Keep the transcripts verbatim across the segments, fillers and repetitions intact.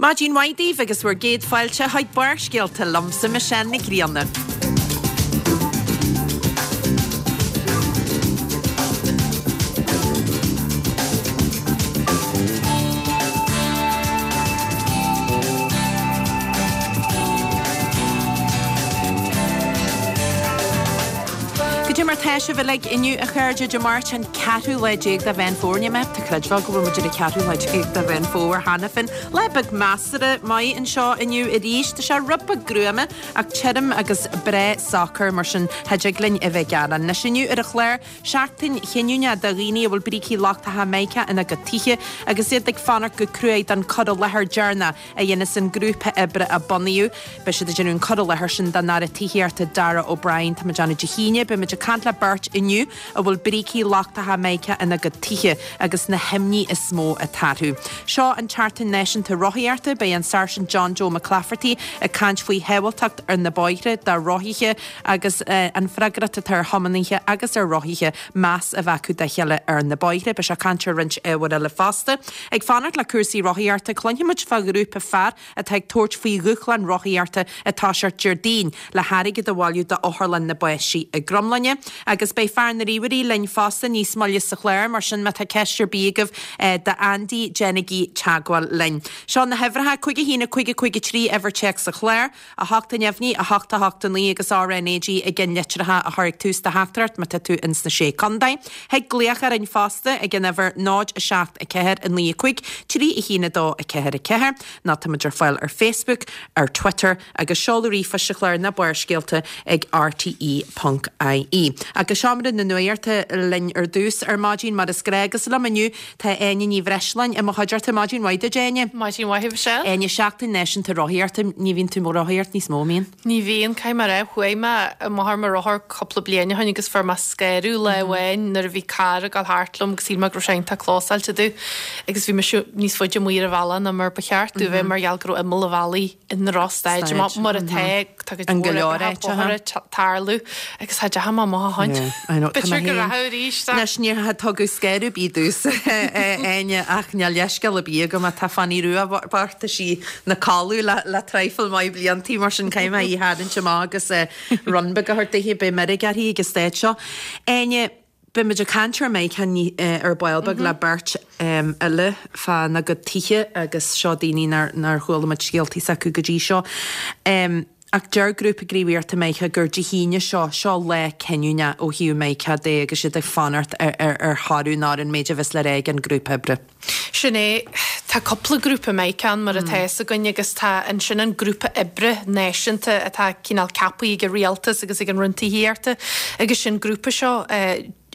Maidin mhaith daoibh agus bhur gcéad fáilte chuig Barrscéalta liomsa Michelle Nic Grianna. Goidé mar tá sibh uilig inniu a chairde Dé Máirt an ceathrú lá déag de Mheán Fómhair. Níl mé ábalta creidbheáil go bhfuil muid ar an ceathrú lá déag de Mheán Fómhair cheana féin. Lá beag measartha maith anseo inniu arís. Tá sé rud beag gruama ach tirim agus breá socair mar sin cha dtig linn a bheith ag gearán. Anois inniu ar an chlár, seachtain chinniúnach do dhaoine a bhfuil brící lochtacha Mica ina gcuid tithe agus iad ag fanacht go cruaidh don cur i láthair deireanach a dhéanfas an grúpa oibre a bunaíodh. Beidh siad ag déanamh an cur i láthair sin don Aire Tithíochta Darragh O'Brien. Tá muid ag déanamh Dé hAoine. Beidh muid ag caint le beirt inniu a bhfuil brící lochtacha Mica ina gcuid tithe agus na himní is mó atá orthu. Seo an tSeachtain Náisiúnta Rothaíochta. Beidh an Sáirsint John Joe McClafferty ag caint faoi shábháilteacht ar na bóithre do rothaithe agus an freagracht atá ar thiománaithe agus ar rothaithe meas a bheith acu dá chéile ar na bóithre. Beidh sé ag caint ar roinnt ábhair eile fosta. Ag fanacht le cúrsaí rothaíochta, cluinfidh muid fá ghrúpa fear atá ag tabhairt faoi dhúshlán rothaíochta ag toiseacht Déardaoin le hairgead a bhailiú d'Otharlann na bPáistí i gCromghlinne. Agus beidh fear na ríomhairí linn fosta níos moille sa chlár, mar sin má tá ceist ar bith agaibh d'Andy, déanaigí teagmháil linn. Seo na huimhreacha, cúig a haon a cúig a cúig a trí uimhir téacs sa chlár, a hocht a neamhní, a hocht a hocht a naoi agus R N A G i gceann litreacha a chur ag tús do theachtaireacht má tá tú ins na Sé Contae. Thig glaoch orainn fosta ag an uimhir náid a seacht a ceathair a naoi a cúig trí a haon a dó a ceathair a ceathair nó tá muid ar fáil ar Facebook, ar Twitter agus seoladh ríomhphoist sa chlár ná Barrscéalta ag R T E ponc I E. Agus seomra na nuachta linn ar dtús ar maidin mar is gnách agus liom inniu tá Áine Ní Bhreisleáin i mo chuideachta. Maidin mhaith duit, Áine. Maidin mhaith, a Mhichelle. Áine, Seachtain Náisiúnta Rothaíochta, ní bhíonn tú ag rothaíocht níos mó, an mbíonn? Ní bhíonn, caithfidh mé a rá, chuaigh mé amach ar mo rothar cúpla bliain ó shin agus fuair mé scanradh lá amháin nuair a bhí carr ag dul thart liom agus shíl mé go raibh sé iontach clósáilte domh agus bhí mise níos faide amuigh ar an bhealach ná mar ba cheart domh bheith mar gheall go raibh imeall an bhealaigh i ndrochstaid. Mar atá, tá cuid An mhór go leor oibreacha áiteacha. bóithre ag tarlú agus cha dteachaigh mé amach ó shin. Yeah, I know, tá B'fhéidir mé go féin. rachadh arís, ach. Anois, níor tugadh scanradh ar bith domhsa, Áine, ach níl leithscéal ar bith agam, tá Fanny Rua bocht, tá sí 'na codladh le le traidhfil maith bliantaí, mar sin caithfidh mé í a tharraingt amach agus run beag a thabhairt daoithe, beidh meirg uirthi ag an staid seo. Áine, beidh muid ag caint ar Mica ar ball beag le beirt eile fána gcuid tithe agus seo daoine nár nár chuala muid scéaltaí s'acu go dtí seo. Ach deir grúpa gníomhaíochta Mica gur Dé hAoine seo, seo lá cinniúnach ó thaobh Mica de agus iad ag fanacht ar ar ar thoradh nó ar an méid a bheas le rá ag an grúpa oibre. Sin é, tá cúpla grúpa Mica ann mar atá fhios againn agus tá ansin an grúpa oibre náisiúnta atá cineál ceaptha ag an rialtas agus ag an Roinn Tithíochta agus sin grúpa seo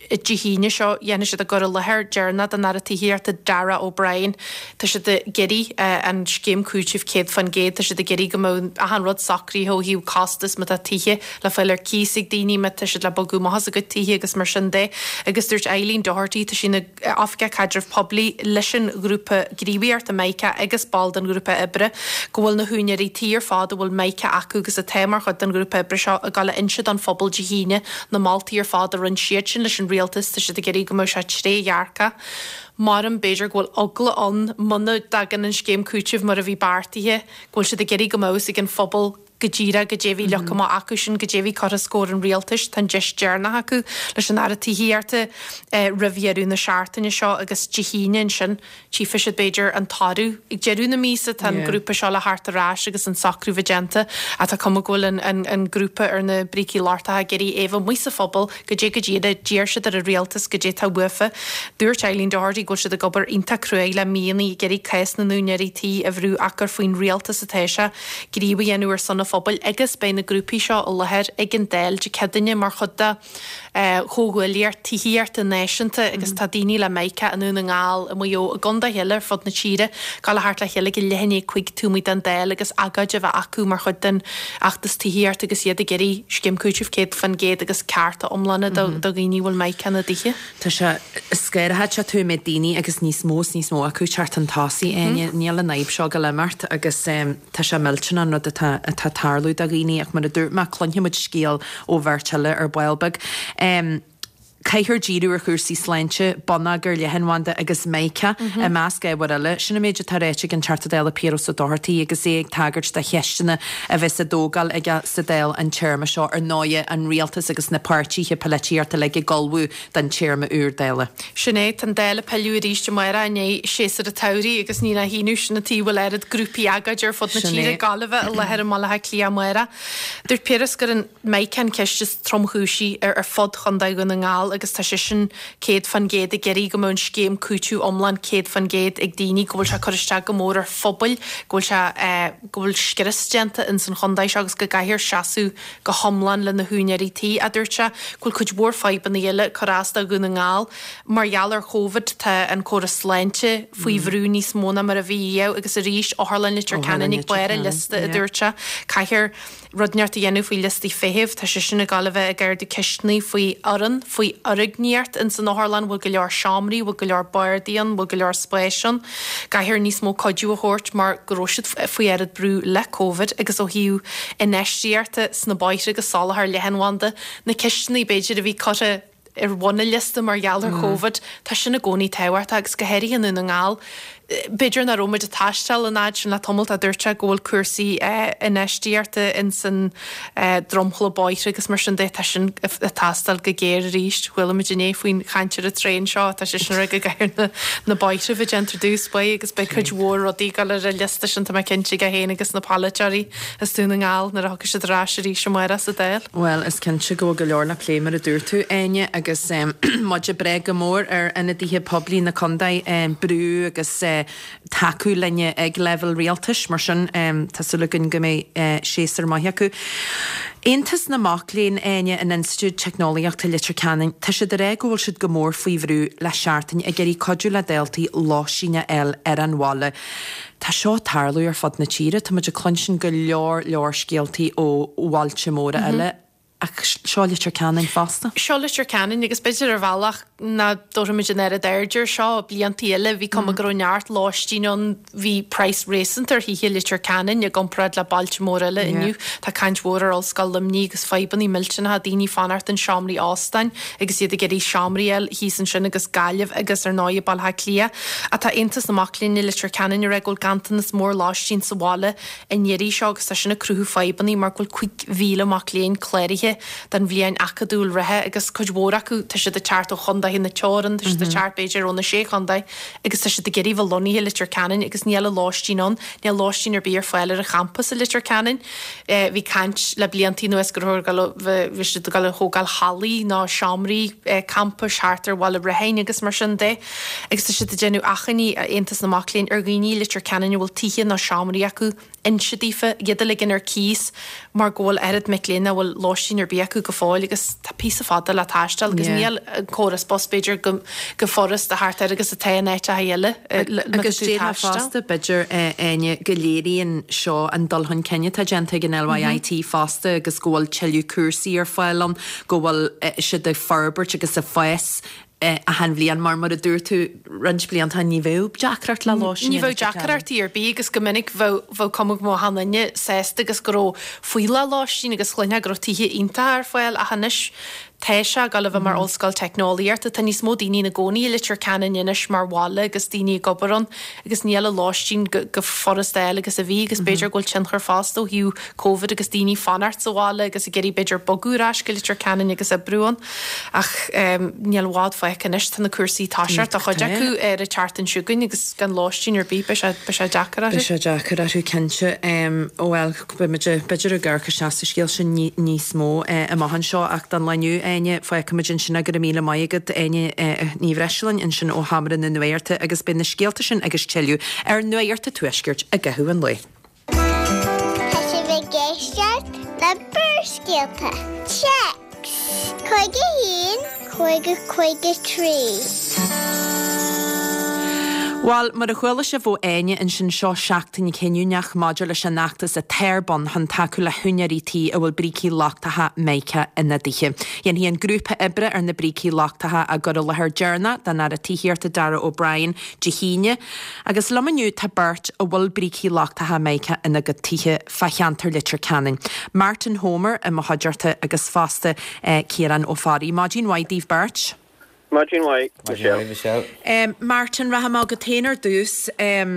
Dé hAoine seo dhéanfaidh siad a gcur i láthair deireanach don Aire Tithíochta Darragh O'Brien. Tá siad ag iarraidh an scéim cúitimh céad faoin gcéad, tá siad ag iarraidh go mbeadh achan rud socraithe ó thaobh costas má tá tithe le fáil ar cíos ag daoine, má tá siad le bogadh amach as a gcuid tithe agus mar sin de. Agus dúirt Eileen Doherty, tá sí ina Oifigeach Caidrimh Poiblí leis an ghrúpa gníomhaíochta Mica agus ball den ghrúpa oibre, go bhfuil na húinéirí tí ar fad a bhfuil Mica acu agus atá mar chuid den ghrúpa oibre seo ag dul a inse don phobal Dé hAoine na moltaí ar fad a rinne siad sin leis an rialtas, tá siad ag iarraidh go mbeadh sé trédhearcach. Maram b'fhéidir go bhfuil eagla ann muna dtagann an scéim cúitimh mar a bhí beartaithe, go bhfuil siad ag iarraidh go mbeadh fhios ag an phobal go díreach goidé a bhí leagtha amach acu sin, goidé a bhí curtha os comhair an rialtais. Tá an deis deireanach acu leis an Aire Tithíochta roimh dheireadh na seachtaine seo agus Dé hAoine ansin tchífidh siad b'fhéidir an toradh. Ag deireadh na míosa tá an grúpa seo le theacht ar ais agus an socrú bheith déanta ach tá cuma go bhfuil an, an, an grúpa ar na brící lochtacha ag iarraidh é bheith amuigh sa phobal goidé go díreach d'iarr siad ar an rialtas goidé tá uafa. Dúirt Eileen Doherty go bhfuil siad ag obair iontach cruaidh le míonna ag iarraidh cás na n-úinéirí tí a bhrú ach gur faoin rialtas atá sé gníomh a dhéanamh ar son an phobail agus beidh na grúpaí seo i láthair ag an Dáil Dé Céadaoine mar chuid de chomhghuaillíocht tithíochta náisiúnta agus tá daoine le Mica i nDún na nGall, i Maigh Eo, i gcontaetha eile ar fud na tíre, ag dul a theacht le chéile ag leath i ndiaidh a cúig taobh amuigh den Dáil agus agóid a bheith acu mar chuid den fheachtas tithíochta agus iad ag iarraidh scéim cúitimh céad faoin gcéad agus cearta iomlána do dhaoine a bhfuil Mica ina dtithe. Tá sé scanraitheach tú mé daoine agus níos mó is níos mó acu teacht chun tosaigh, Áine. Níl an fhadhb seo ag dul imeacht agus tá sé millteanach an rud atá atá ag tarlú do dhaoine ach mar a dúirt mé cluinfidh muid scéal ó bheirt eile ar ball beag. Caithfear díriú ar chúrsaí sláinte, bonneagar, leathanbhanda agus Mica i measc ábhair eile. Sin an méid atá ráite ag an Teachta Dála Piaras Ó Dochartaigh agus é ag tagairt do cheisteanna a bheas á dtógáil aige sa Dáil an téarma seo. Ar ndóighe, an rialtas agus na páirtithe polaitíochta uilig ag ullmhú don téarma úr Dála. Sin é, tá an Dáil ag pilleadh arís amárach i ndiaidh séasúr an tsamhraidh agus ní nach ionadh sin an tuige a bhfuil oiread grúpaí agóide ar fud na tíre, Gaillimhe i láthair i mBaile Átha Cliath amárach. Dúirt Piaras gur an Mica an ceist is tromchúisí ar fud Chontae Dhún na nGall agus tá seisean céad fan gcéad ag iarraidh go mbeadh an scéim cúiteamh iomlán céad fan gcéad ag daoine, go bhfuil sé ag cur isteach go mór ar phobail, go bhfuil sé, go bhfuil scrios déanta ins an chontae seo agus go gcaithfear seasamh go hiomlán le na húinéirí tí, a dúirt sé. Go bhfuil cuid mhór fadhbanna eile ag cur as do Dhún na nGall. Mar gheall ar Chóvid tá an córas sláinte faoi bhrú níos mó ná mar a bhí riamh agus arís Otharlann Leitir Ceanainn ag barr an liosta, a dúirt sé. Caithfear. rud inteacht a dhéanamh faoi liostaí feithimh. Tá seisean ag gabháil a bheith ag ardú ceisteanna faoi fhoireann, faoi fhoirgníocht ins an otharlann, bhfuil go leor seomraí, bhfuil go leor bardaí ann, bhfuil go leor spáis ann. Caithfear níos mó cuidiú a thabhairt mar go raibh siad faoi oiread brú le Covid agus ó thaobh infheistíochta sna bóithre agus soláthar leathanbhanda, na ceisteanna b'fhéidir a bhí curtha ar bhun an liosta mar gheall ar Chóvid, tá sin i gcónaí tábhachtach agus go háirithe i nDún na nGall. B'fhéidir nach raibh muid ag taisteal an fhad sin le tamall, a dúirt sé go bhfuil cúrsaí infheistíochta ins an dromchla bóithre agus mar sin de, tá sin ag teastáil go géar arís. Chuala muid inné faoin chaint ar an traein seo, tá sé sin ag rá go gcaithfear na bóithre a bheith déanta ar dtús báire agus beidh cuid mhór rudaí ag dul ar an liosta sin, tá mé cinnte aige féin agus na polaiteoirí as Dún na nGall nuair a thiocfaidh siad ar ais arís amárach sa Dáil. Bhuel, is cinnte go bhfuil go leor le plé mar a dúirt tú, Áine, agus muid ag brath go mór ar ionadaithe poiblí na contae brú agus tacú linne ag leibhéal rialtais, mar sin tá súil againn go mbeidh séasúr maith acu. Aontas na Mac Léinn, Áine, in Institiúid Teicneolaíochta Leitir Ceanainn, tá siad ag rá go bhfuil siad go mór faoi bhrú le seachtain ag iarraidh cuidiú le daltaí lóistín a fháil ar an bhaile. Tá seo ag tarlú ar fud na tíre, tá muid ag cluinstin go leor leor scéaltaí ó bhailte móra eile. Ach seo Leitir Ceanainn fosta. Seo Leitir Ceanainn agus b'fhéidir ar bhealach nach dtabharfaimid an oiread aird air seo bliantaí eile, bhí cuma go raibh neart lóistín ann, bhí praghas réasúnta ar thithe i Leitir Ceanainn i gcomparáid le bailte móra eile. Inniu tá caint mhór ar Ollscoil Luimnigh agus fadhbanna millteanacha, daoine ag fanacht in seomraí óstáin agus iad ag iarraidh seomraí a fháil thíos ansin agus Gaillimh agus ar ndóigh Baile Átha Cliath. Ach tá Aontas na Mac Léinn i Leitir Ceanainn ag rá go bhfuil ganntanas mór lóistín sa bhaile an iarraidh seo agus tá sin ag cruthú fadhbanna mar go bhfuil cúig mhíle mac léinn cláraithe don bhliain acadúil reatha agus cuid mhór acu, tá siad ag teacht ó chondaetha na teorann, tá siad ag teacht b'fhéidir ó na sé chondae agus tá siad ag iarraidh bheith lonnaithe i Leitir Ceanainn agus níl an lóistín ann, níl lóistín ar bith ar fáil ar an champas i Leitir Ceanainn. Bhí caint le blianta anuas go raibh, bhí siad ag dul a thógáil hallaí nó seomraí campais thart ar Bhaile Rathain agus mar sin de agus tá siad ag déanamh achainí, Aontas na Mac Léinn, ar dhaoine i Leitir Ceanainn a bhfuil tithe nó seomraí acu inse daofa iad a ligean ar cíos mar go bhfuil oiread mic léinn nach bhfuil lóistín ar bith acu go fóill agus tá píosa fada le taisteal agus níl an córas bus b'fhéidir chomh furasta thart air agus atá in áiteacha eile Agus déarfá fosta b'fhéidir Áine go léiríonn seo an dul chun cinn atá déanta ag an LYIT fosta agus go bhfuil tuilleadh cúrsaí ar fáil ann, go bhfuil siad ag forbairt agus ag fás achan bhliain mar mar a dúirt tú roinnt blianta ní bheadh deacracht le lóistín Ní bheadh deacrachtaí ar bith agus go minic bheadh bheadh cuma go mbeadh achan duine sásta agus go raibh fuíollach lóistín agus chluinfeá go raibh tithe iontacha ar fáil ach anois tá sé ag dul a bheith mar ollscoil teicneolaíochta. Tá níos mó daoine ina gcónaí i Leitir Ceanainn anois mar bhaile agus daoine ag obair ann agus níl an lóistín chomh furasta a fháil agus a bhí agus b'fhéidir go bhfuil tionchar fosta ó thaobh Covid agus daoine fanacht sa bhaile agus ag iarraidh b'fhéidir bogadh ar ais go Leitir Ceanainn agus oibriú ann. Ach níl i bhfad fágtha anois, tá na cúrsaí ag toiseacht do chuid acu ar an tseachtain seo chugainn agus gan lóistín ar bith, beidh sé, beidh sé deacair orthu. Beidh sé deacair orthu, cinnte. Bhuel, beidh muid, b'fhéidir ag amharc isteach sa scéal sin níos mó amach anseo ach don lá inniu, Áine, fágfaimid ansin é. Go raibh míle maith agat, Áine Ní Bhreisleáin, ansin ó Sheomra na Nuachta agus beidh na scéalta sin agus tuilleadh ar Nuacht an Tuaiscirt i gcaitheamh an lae. Tá sibh ag éisteacht le Barrscéalta. Téacs, cúig a haon, cúig cúig a trí. Well, mar a chuala sibh ó Áine ansin seo seachtain chinniúnach maidir leis an fheachtas atá ar bun chun tacú le húinéirí tí a bhfuil brící lochtacha mica ina dtithe. Dhéanfaidh an grúpa oibre ar na brící lochtacha a gcur i láthair deireanach don Aire Tithíochta Darragh O'Brien Dé hAoine, agus liom inniu tá beirt a bhfuil brící lochtacha mica ina gcuid tithe fá cheantar Leitir Ceanainn. Martin Homer i mo chuideachta agus fosta eh, Ciarán Ó Fearraigh. Maidin mhaith daoibh beirt. Maidin mhaith, Michelle. Michelle. Um, Martin rachaidh mé chugat féin ar dtús um,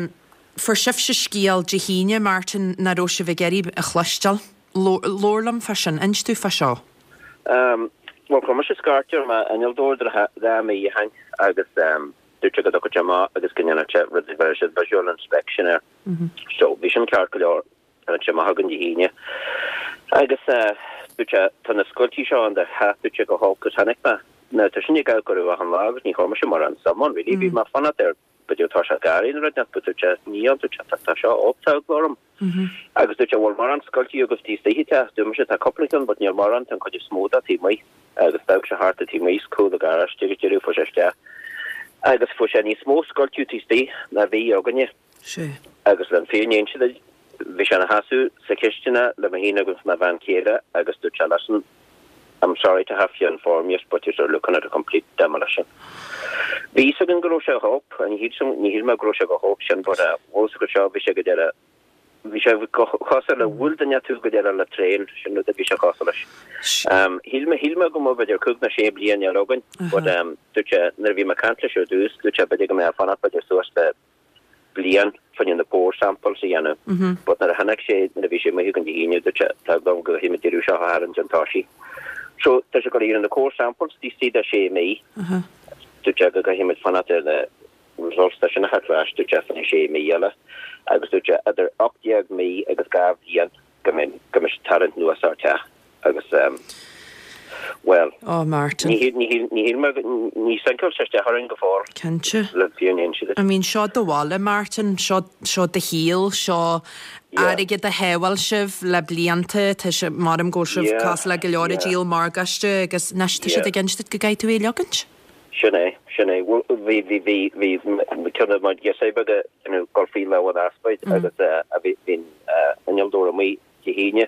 fuair sibhse scéal Dé hAoine Martin nach raibh sibh ag iarraidh a chloisteáil. Labhair liom fá sin, inis domh fá seo. Um, well, chuir mise scairt ar m'innealtóir dhá mhí ó shin agus um, dúirt sé go dtiocfadh sé amach agus go ndéanfadh sé rud a bheir siad visual inspection air. Mm -hmm. So bhí sin ceart go leor tháinig sé amach chugainn Dé hAoine. Agus uh, dúirt sé tá na scoiltí seo an de theach dúirt sé go holc agus tháinig mé. Now tá sin ag go raibh an lá agus ní chuir mise mórán suim ann really bhí mé fanacht ar b'fhéidir tá sé garraí nó rud but dúirt sé níl dúirt sé tá seo tá eagla orm. Agus dúirt sé bhfuil mórán scoiltí agus taobh istigh de dúirt mise tá cúpla ceann but níl mórán tá an chuid is mó de taobh amuigh agus d'amharc sé thart taobh amuigh cúl an gharáiste agus deireadh fuair sé isteach. Agus fuair sé níos mó scoiltí taobh istigh ná bhí againne. Sé. Agus le fírinne a inse bhí sé ina sheasamh sa chistin le mé féin agus mo bhean chéile agus dúirt sé listen I'm sorry to have to inform you, but you're looking at a complete demolition. Bhí a fhios againn go raibh sé chomh, ní shíl mé go raibh sé chomh holc sin, but bhfuil go seo bhí sé go deireadh bhí sé cosúil le bhuail duine tú go deireadh le traein sin rud a bhí sé cosúil leis. Um, Shíl mé shíl mé go mbeadh b'fhéidir cúig nó sé bliain eile againn, but um, dúirt sé nuair a bhí mé ag caint leis ar dtús, dúirt sé b'fhéidir go mbeadh fanacht b'fhéidir suas le bliain fá choinne na core samples a dhéanamh. Mm -hmm. But nuair a tháinig sé nuair a bhí sé amuigh chugainn Dé hAoine dúirt sé tá go go him deireadh seo a tharraingt an toisí. So tá sé go ar na core samples taobh istigh de sé mhí. Dúirt sé go gcaithfimid fanacht ar na results tá sin a theacht dúirt sé fan sé mhí eile agus dúirt sé idir ocht déag mí agus dhá bhliain go mbeidh go mbeidh tarraingt anuas ár teach agus um, well Oh Martin. ní ní ní ní sinkeáil sé isteach orainn go fóill Cinnte. le fírinne a inse I mean seo do bhaile Martin, seo seo do shaol, seo airgead a shábháil sibh le blianta tá sé mar go sibh Yeah, cosúil le go leor yeah. díol morgáiste agus anois tá siad Yeah. ag insint duit go gcaithfidh tú é a leagaint. Sin é sin é bhí bhí bhí bhí ceann mar ghirseach beaga gol faoi le an aspaid agus a bhí bhín innealtóir amuigh Dé hAoine.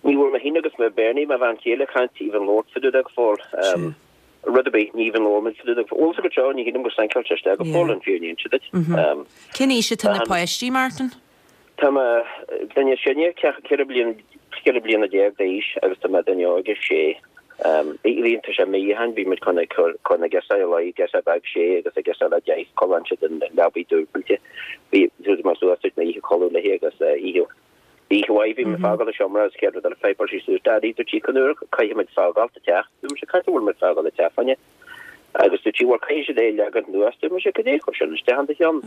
Ní bhfuil mé féin agus me Bernie me bhean chéile can't even labhairt fá dtaobh de go fóill. Rud a ní even labhair fá dtaobh de go fóill go seo ní híam go sinkeáil sé isteach go fóill an fírinne a inse duit. Cén aois atá na páistí Martin? Tá duine sinne ceithre bliana ceithre bliana déag d'aois agus tá duine óige sé. Bhíonn sé míhan bhí muid chun chun na girseach le girseach beag sé agus a girseach le deich codlaíonn siad in leabaidh dúbailte. Bhí mar suas na oíche codladh léi agus oíche Oíche mhaith bhí mé fágáil an seomra agus céad rud eile pháipéáil sí suas Daddy dúirt sí cén uair caithfimid fágáil an teach dúirt mise cad bhfuil muid fágáil an teach fá choinne agus dúirt sí bhfuil caithfidh siad é leagan anuas dúirt mise cad é chuir sin isteach in do cheann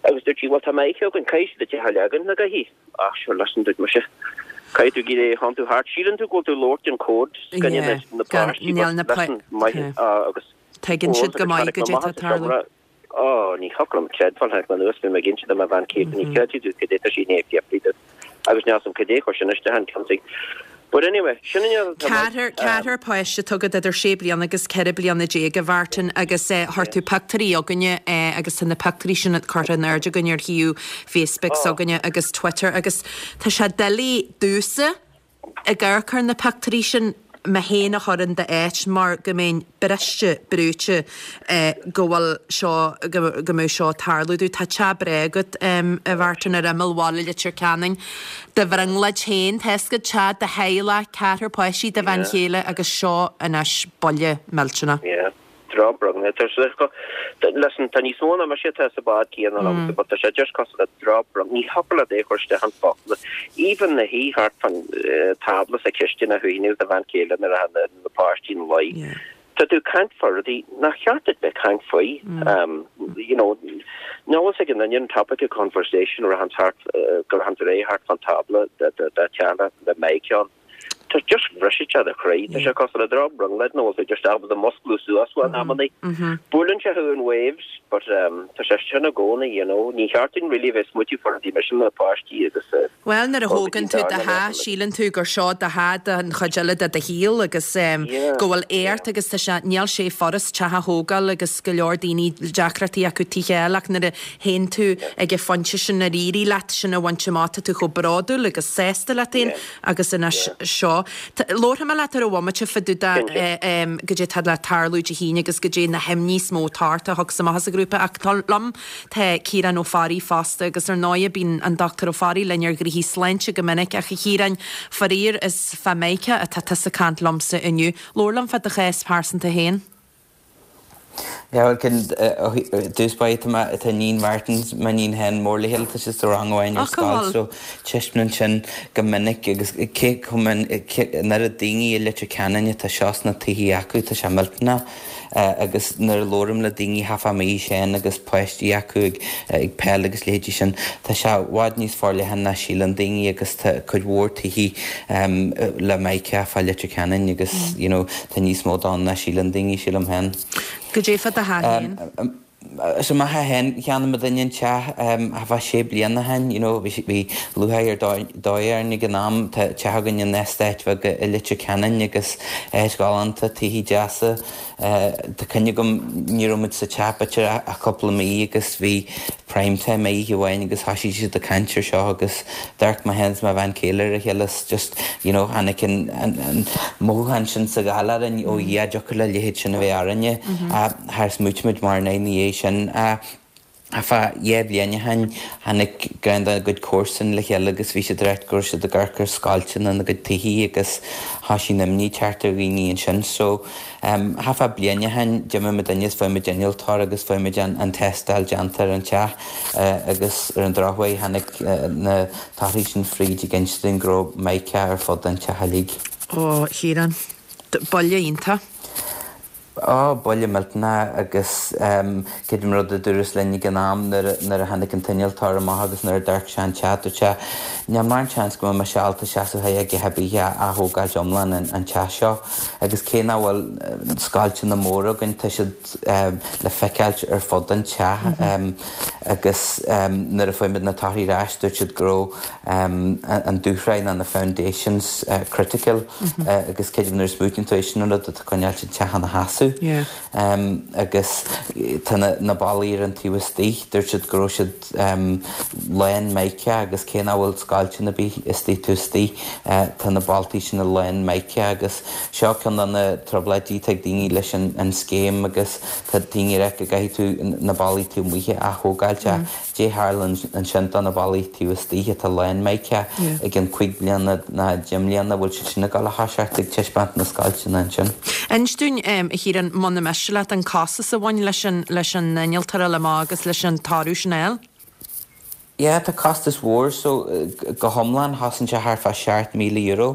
agus dúirt sí bhfuil tá mé an caithfidh siad an teach a leagan na gcaithfidh ach sure listen dúirt mise Caithfidh tú gí é han tú thart síleann tú go bhfuil tú labhairt an cód gan na páistí níl na maith agus Tuigeann siad go maith go dté tarlú. Ó ní thiocfadh liom creidbheáil tháinig mé anuas bhí mé ag inse do mo bhean chéile ní chreidfidh tú cad é tá sí ní fiafraí de agus níl a fhios agam cad é chuir sin isteach an ceann But anyway, sin an Ceathrar ceathrar páiste atá agat idir sé bliana agus ceithre bliana déag a Mhartin agus eh, chuir tú pictiúirí chugainne eh, agus tá na pictiúirí sin curtha in airde againn ar shuíomh Facebook s'againne agus Twitter agus tá sé doiligh domhsa ag amharc ar na pictiúirí sin mé féin a chur in d'áit mar go mbeinn briste brúite eh, go bhfuil seo go go mbeidh seo tarlú duit tá teach breá agat um, a Mhartin ar imeall bhaile Leitir Ceanainn. Do bhrionglóid féin tá go teach do theaghlach ceathrar páistí do bhean chéile agus seo anois buille millteanach. Yeah. Drochbhrón listen tá níos mó ná mise tá sa bád céanna liomsa but tá sé just cosúil le drochbhrón ní thiocfadh leat é chur isteach in focail even na hí thart fan tábla sa chistin a thuine do bhean chéile nuair a na na páistí ina luí. Tá tú caint fá rudaí nach ceart duit bheith caint faoi um, you know nó ag an an topic of conversation ra han thart gur han ré thart fan tábla de de de teala le méicán. Tá just bhriseann sé do chroí, tá sé cosúil le drochbhrionglóid nó tú just ábalta musclú suas in amannaí. Buaileann sé thú in waves, but um, tá sé sin i gcónaí, you know, ní cheart dúinn really bheith smaoitiú fá demolition na páistí agus uh, Well nuair a thógann tú do theach síleann tú gur seo do theach an chuid eile de do shaol agus um, Yeah, go bhfuil éart agus tá sé níl sé furast teach a thógáil agus go leor daoine deacrachtaí acu tithe ach nuair a théann tú ag an phointe sin ar éirigh leat sin a bhaint amach tá tú chomh bródúil agus sásta leat féin agus ina seo. Labharfaidh mé leat ar an bhomaite fá dtaobh de goidé tá le tarlú Dé hAoine agus goidé na himní is mó atá thug amach as an grúpa ach tá liom tá Ciarán Ó Fearraigh fosta agus ar ndóigh bíonn an Dr Ó Fearraigh linn ar ghnoithí sláinte go minic ach a Chiaráin faraor is fá mica atá tusa ag caint liomsa inniu. Labhair liom fá do chás pearsanta féin. Ja, cyn dús ba tá níon Martins ma níon hen mór le hill tá sé sa rang amháin ar scoil so taispeánann sin go minic agus cé chomh an oiread daoine i Leitir Ceanainn tá seo sna tithe acu tá sé millteanach agus nuair a labhraím le daoine hafa mí sin agus páistí acu ag ag peil agus leithéidí sin tá sé i bhfad níos forleithne ná síleann daoine agus tá cuid mhór tithe le mica fá Leitir Ceanainn agus you know, tá níos mó ann ná síleann daoine sílim féin. Goidé fá do theach féin? So mo theach féin cheannaigh muidinne an teach thart fá sé bliana ó shin, you know, bhí lúcháir ar dóigh orainn ag an am tá teach againn in eastát bheag i Leitir Ceanainn agus áit ghalánta tithe deasa Tá cuimhne agam ní raibh muid sa teach b'fhéidir ach cúpla mí agus bhí prime time oíche amháin agus thosaigh siad ag caint air seo agus d'amharc mé féin is mo bhean chéile ar a chéile just you know, tháinig an, an, an mothúchán sin sa gháil orainn ó Dhia dtiocfadh le leithéid sin a bheith orainne char smaointigh muid mar ná ní é sin. Fá dhá bhliain ó shin tháinig ceann dá gcuid comharsan le chéile agus bhí siad ag ráit go raibh siad ag amharc ar scoilteanna ina gcuid tithe agus thosaigh an imní teacht ar dhaoine ansin. So um, thart fá bliain ó shin d'imigh muidinne is fuair muid innealtóir agus fuair muid an, an tástáil déanta ar an teach uh, agus ar an drochuair tháinig uh, na torthaí sin fríd ag inse dúinn go raibh mica ar fud an teach uilig. Ó Chiaráin, buille iontach. Ó buille millteanach agus um, creidim rud a dúradh linn ag an am nuair a tháinig an t-innealtóir amach agus nuair a d'amharc sé an teach dúirt sé níl mórán seans go mbeidh sé ábalta seasamh a bith a thógáil iomlán an, an teach seo agus cé nach bhfuil scoilteanna móra againn tá siad um, le feiceáil ar fud an teach mm -hmm. um, agus um, nuair a fuair muid na torthaí ar ais dúirt siad go raibh um, an dúshraith na na foundations uh, critical mm -hmm. uh, agus creidim nuair a smaoiníonn tú sin rud atá coinneáil an teach ina sheasamh. Yeah. Um, agus tá na, na ballaí ar an taobh istigh dúirt siad go raibh siad um, lán mica agus cé nach bhfuil scoilteanna ar bith istigh taobh istigh uh, tá na ballaí sin lán mica agus seo ceann de na trioblóidí ag daoine leis an, an scéim agus tá daoine ag rá go gcaithfidh tú na ballaí taobh amuigh a thógáil mm. Cad a tharla ansin do na ballaí taobh istigh atá lán mica Yeah. ag an cúig bliana nó deich mbliana bhfuil siad sin ag dul a thoiseacht ag taispeáint na scoilteanna ansin. Inis dúinn um, a Chiaráin muna miste leat an costas a bhain leis an leis an innealtóir eile amach agus leis an toradh sin a fháil? Yeah, tá costas mhór so uh, go hiomlán chosain sé thart fá seacht míle euro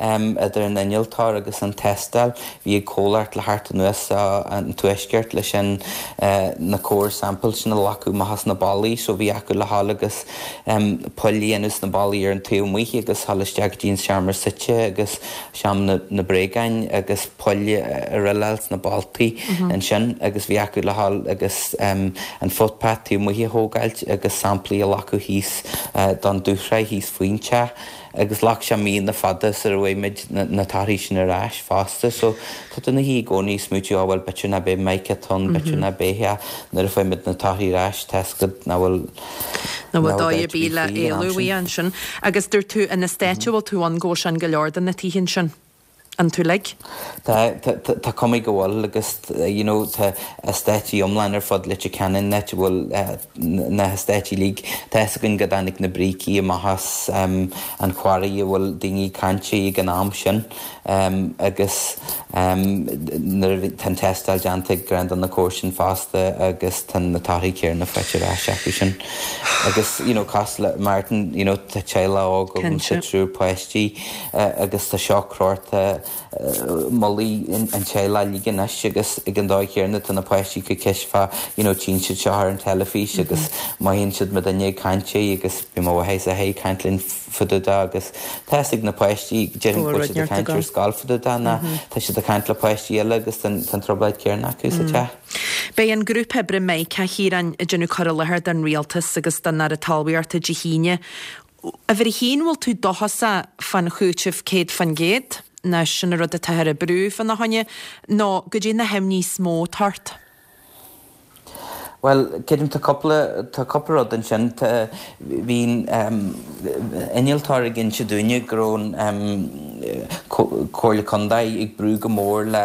um, idir an innealtóir agus an tástáil bhí ag comhlacht le thart anuas an tuaisceart leis sin uh, na core samples sin a ghlacadh amach as na ballaí so bhí acu le dhul agus um, poill a dhéanamh sna ballaí ar an taobh amuigh agus dhul isteach go dtí an seomra suite agus seomra na, na bréagáin agus poill a dhruileáil sna ballaí mm -hmm. ansin agus bhí acu le dhul agus um, an footpath taobh amuigh a thógáilt agus samplaí a ghlacadh thíos uh, don dúshraith thíos faoin teach agus ghlac sé míonna fada sar a bhfuair muid na, na torthaí sin ar ais fosta, so tá na hí gcónaí smaoitiú bhfuil b'fhéidir nach mbeidh mica ann b'fhéidir nach mbeidh nuair a fuair muid na torthaí ar ais tá nach bhfuil Na bhfuil dóigh ar bith le éalú uaidh ansin agus dúirt tú in eastát a bhfuil tú ann go bhfuil sin go leor de na tithe sin. An tú-lig? Tá tá cuma go bhfuil agus you know, tá eastáit iomlán ar fud Leitir Ceanainn net bhfuil uh, na heastáit uilig Tá gon go dtáinig na brící amach as um, an quarry a bhfuil daoine cainte ag an am sin um, agus um, nuair tá an tástáil déanta grand an na cóir fosta agus tá na torthaí céanna faighte ar ais acu sin. Agus you know, cás le Martin you know, tá teaghlach óg agus Cinnte. triúr páistí uh, agus tá seo crórta mullaigh an teaghlach uilig anois agus ag an dóigh chéanna tá na páistí go cífeá you know tchíonn siad seo ar an teilifís agus mothaíonn siad mar duine ag caint é agus bhí mo mháthair is a athair ag caint linn fá dtaobh de agus tá fhios ag na páistí déarfainn go bhfuil siad ag caint ar scoil fá dtaobh de ná tá siad ag caint le páistí eile agus tá an trioblóid chéanna acu sa teach. Beidh an grúpa oibre Mica, a Chiaráin, ag déanamh cur i láthair don Rialtas agus don Aire Talmhaíochta Dé hAoine. Uimhir a haon, bhfuil tú dóchasach fán chúiteamh céad fan gcéad, nó sin an rud atá ar brú fána choinne, nó goidé na himní is mó atá ort? Bhuel, creidim tá cúpla tá cúpla rud ansin. Tá bhí an innealtóir ag inse dúinne go raibh an Comhairle Contae ag brú go mór le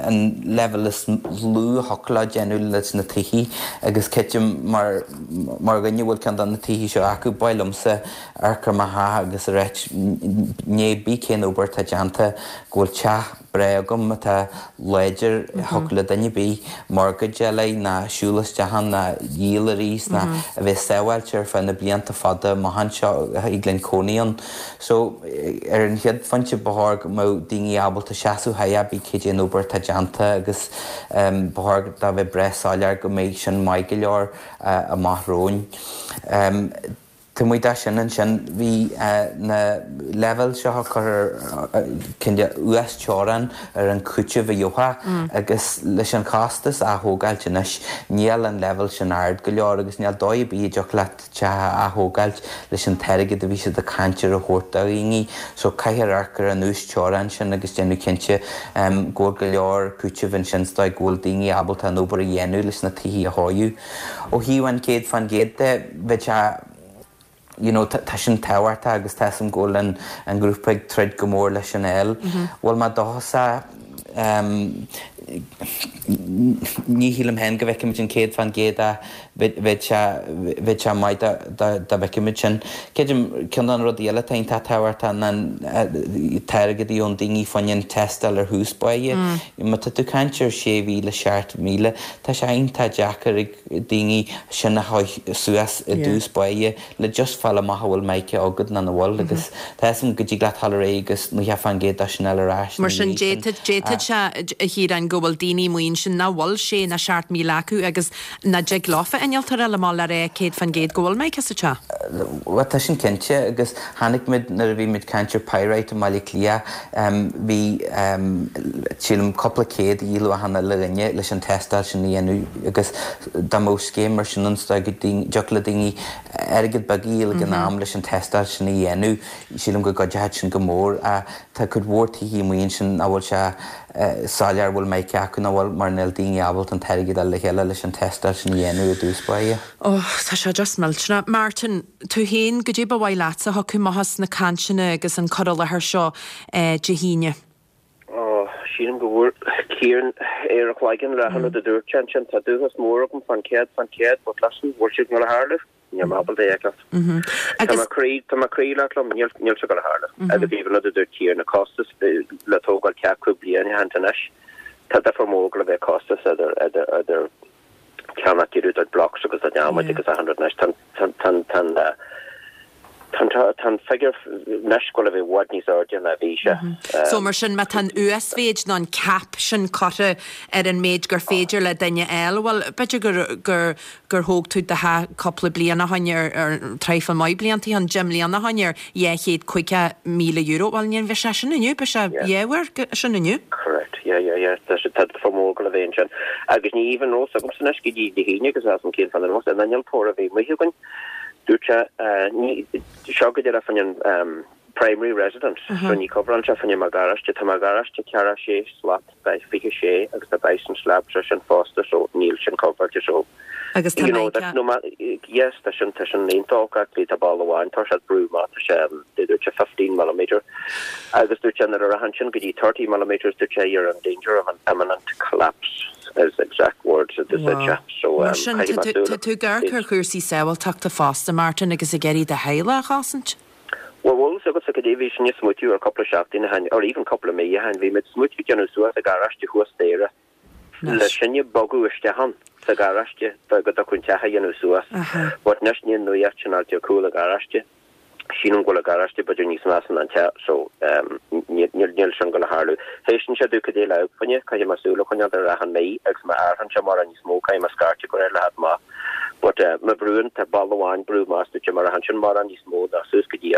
an leibhéal is lú a thiocfadh leo déanamh leis na tithe agus creidim mar mar dhuine a bhfuil ceann de na tithe seo acu, ba mhaith liomsa amharc ar mo theach agus a ráit pé ar bith cén obair atá déanta go bhfuil teach breá agam atá láidir, thiocfadh le duine ar bith mortgage a fháil ná siúl isteach ann ná dhíol arís ná a bheith sábháilte ar feadh na blianta fada amach anseo a thig linn cónaí ann. So ar an chéad phointe ba chóir go mbeadh daoine ábalta seasamh pé ar bith cad é an obair atá déanta agus ba chóir dá bheith breá soiléir go mbeidh sin maith go leor amach romhainn. Taobh amuigh de sin ansin bhí na leibhéil seo a chur ar cineál uasteorainn ar an chúiteamh a gheofá agus leis an chostas athógáilt anois níl an leibhéal sin ard go leor agus níl dóigh ar bith a dtiocfadh leat teach a athógáilt leis an t-airgead a bhí siad ag caint ar a thabhairt do dhaoine. So caithfear amharc ar an uasteorainn sin agus déanamh cinnte go bhfuil go leor cúitimh ansin sa dóigh go bhfuil daoine ábalta an obair a dhéanamh leis na tithe a chóiriú. Ó thaobh an céad fan gcéad de bheadh sé you know, tá sin tábhachtach agus tá fhios agam go bhfuil an, an grúpa ag troid go mór leis sin a fháil. Bhfuil mé dóchasach um, ní shílim féin go bhfeicfimid an céad fan gcéad ach bheadh sé bheadh sé maith dá dá bhfeicfimid sin. Creidim ceann de na rudaí eile atá iontach tábhachtach ná an t-airgead a gheobhann daoine fá choinne an tástáil ar thús báire. Má tá tú ag caint ar sé mhíle seacht míle, tá sé iontach deacair ag daoine sin a chur suas i dtús báire le just fáil amach an bhfuil Mica agat nó nach bhfuil agus tá fhios agam go dtig leat dul ar aghaidh agus nócha fan gcéad de sin a fháil ar ais Mar sin d'fhéadfadh sé a Chiaráin go bhfuil daoine amuigh ansin nach bhfuil sé ná seacht míle acu agus nach dtig leofa innealtóir eile má le rá céad fan gcéad go bhfuil Mica sa teach. Bhuel tá sin cinnte agus chonaic muid nuair a bhí muid caint ar Pyrite i mBaile Átha Cliath bhí sílim cúpla céad a dhíoladh achan uile dhuine leis an tástáil sin a dhéanamh agus dá mbeadh scéim mar sin ann go dtiocfadh le daoine airgead beag a dhíol ag an am leis an tástáil sin a dhéanamh sílim go gcuideoidh sin go mór. Tá cuid mhór tithe amuigh ansin nach bhfuil sé soiléir bhfuil Mica acu nó bhfuil mar níl daoine ábalta an t-airgead a fháil le chéile leis an tástáil sin a dhéanamh i dtús báire. Ó tá sé just millteanach. Martin, tú féin goidé ba mhaith leatsa a thiocfadh amach as na cainteanna agus an cur i láthair seo Dé hAoine. Ó sílim go bhfuair Ciarán ar a chloigeann le hionad a dúirt sé ansin tá dóchas mór agam fan céad fan céad but listen bhfuil siad ag dul a tharlú? Níl mé ábalta é a fheiceáil. Tá mo chroí tá mo chroí leat liom níl níl sé ag dul a tharlú. Agus even rud a dúirt Ciarán na costas le tógáil teach cúig bliana ó shin anois tá difear mór go le bheith costas idir idir idir ceannach deireadh blocks agus a adhmaid agus a hundred anois tá tá tá tá tá tá an figure anois go le bheith i bhfad níos airde ná bhí sé. So mar sin má tá an uasmhéid nó an cap sin curtha ar an méid gur féidir le duine eile, bhuel b'fhéidir gur gur gur thóg tú do theach cúpla bliain ó shin ar ar traidhfil maith blianta ó shin, deich mbliana ó shin ar dhá chéad caoga míle euro, bhuel ní bheidh sé sin inniu, beidh sé dhá uair sin inniu. Correct, yeah, yeah, yeah. Tá sé tá difear mór go le bheith ansin. Agus ní even rós agamsa anois go dtí Dé hAoine agus as an cén fan an an innealtóir a bhí amuigh againn. Dúirt sé ní seo go deireadh fan an primary residence so ní coverálann sé fan mo gharáiste tá mo gharáiste ceathracha sé slat by fiche sé agus tá bison slab sé sin fosta so níl sin coveráilte so Agus tá you know Mica that no ma yes tá sin tá sin iontach actually tá balla amháin tá sé brú má tá sé dúirt sé fifteen millimeter agus dúirt sé nuair a rachann sin go dtí thirty millimeters dúirt sé you're in danger of an imminent collapse is exact words that they said Wow. so Mar um sin caithfidh tá mé tú súil tá tú ag amharc ar chúrsaí sábháilteachta fosta Martin agus ag iarraidh do theaghlach a chosaint? Well bhfuil agus go dtí bhí sin smaoineamh ar cúpla seachtain ó shin or even cúpla mí ó shin bhí muid smaoineamh déanamh suas a garáiste thuas staighre le sinne bogadh isteach ann sa garáiste go dtiocfadh an teach a dhéanamh suas. Aha. But anois ní nuaíocht sin ar cúl a garáiste. Sílim go bhfuil an garáiste b'fhéidir níos measa ná an teach so níl sin ag gabháil a tharlú. Théis sé dúch dé le fanne caithfidh mé súil a choinneáil ar achan mí agus má athraíonn sé mórán níos mó caithfidh mé scairteadh go réidh le theacht amach. But má bhrúnn tá balla amháin brú amach duit mar a sin mórán níos mó ná suas go dtí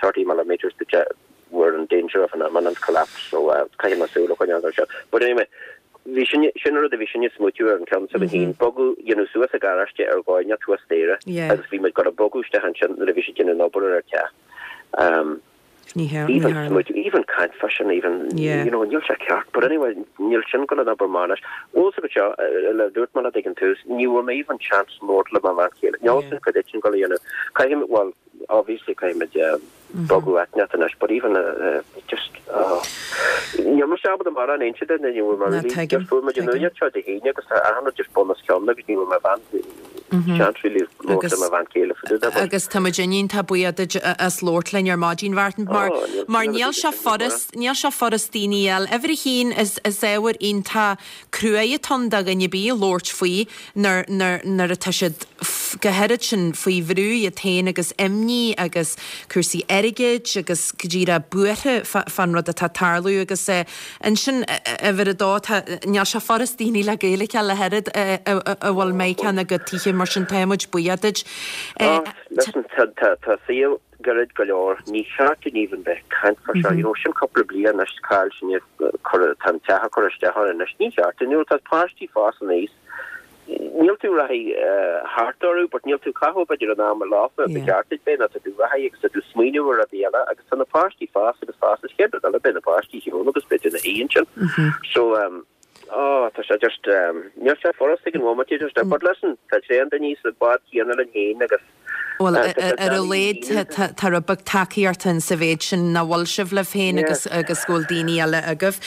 thirty millimetres duit we're in danger of an imminent collapse so caithfidh mé súil a choinneáil air seo. But anyway, bhí sin sin rud a bhí sin smaoitiú ar an ceann sa bhín bogadh dhéanamh suas an garáiste ar gáine tuas staighre agus bhí muid gonna bogadh isteach ansin nuair a bhí siad déanamh an obair ar an teach. Um, Ní hea- even ní tharla. smaoitiú even caint fá sin even Yeah. you know níl sé ceart but anyway níl sin gonna obair mar bhfuil go seo le dúirt mé ag an tús ní bhfuair mé even chance labhairt le mo bhean chéile. Níl Yeah. sin go sin go dhéanamh caithfidh well obviously caithfidh muid bogadh áit anois but even uh, uh, just uh, níl mé sásta mar an aon de ní bhfuil mar Ná, tuigim, just fuair muid an tuigim. nuacht seo Dé hAoine agus tá achan rud just bun os cionn agus ní bhfuair mo bhean chance really labhairt le mo bhean chéile fá dtaobh de, but- Agus tá muid iontach buíoch duit as labhairt linn ar maidin Mhartin mar Oh, níl mar sin níl sé sin furast níl sé furast daoine eile. Uimhir a haon is is ábhar iontach cruaidh atá ann do dhuine ar bith labhairt faoi nuair nuair nuair atá siad f- go háirithe sin faoi bhrú iad féin agus imní agus cúrsaí airgid agus go díreach buartha fán rud atá tarlú agus eh, ansin uimhir a dó tá níl sé furast daoine le Gaeilge le oiread a bhfuil meiceanna go títhe mar sin táimid buíoch duit. Eh, Oh, listen, tá tá tá saol gairid go leor ní cheart dúinn even bheith caint fá seo you know sin cúpla bliain anois cáil sin chur tá an teach curtha isteach anois ní cheart dúinn tá páistí fás aníos níl tú reathaí thart orthu but níl tú caitheamh b'fhéidir an am leofa Yeah. be ceart be na tú reathaí agus tá tú smaoineamh ar rudaí eile agus tá na páistí fás agus fás is chéad eile beidh na páistí shiúl agus beidh na haon sin so um Oh, tá sé just um, níl sé furast ag an bhomaite just but listen, tá tréan daoine sa bád céanna linn féin agus Well Uh, tá sé ar a doiligh laghad tá rud beag tacaíocht ann sa mhéid sin nach bhfuil sibh libh féin Yeah. agus agus go bhfuil daoine eile agaibh.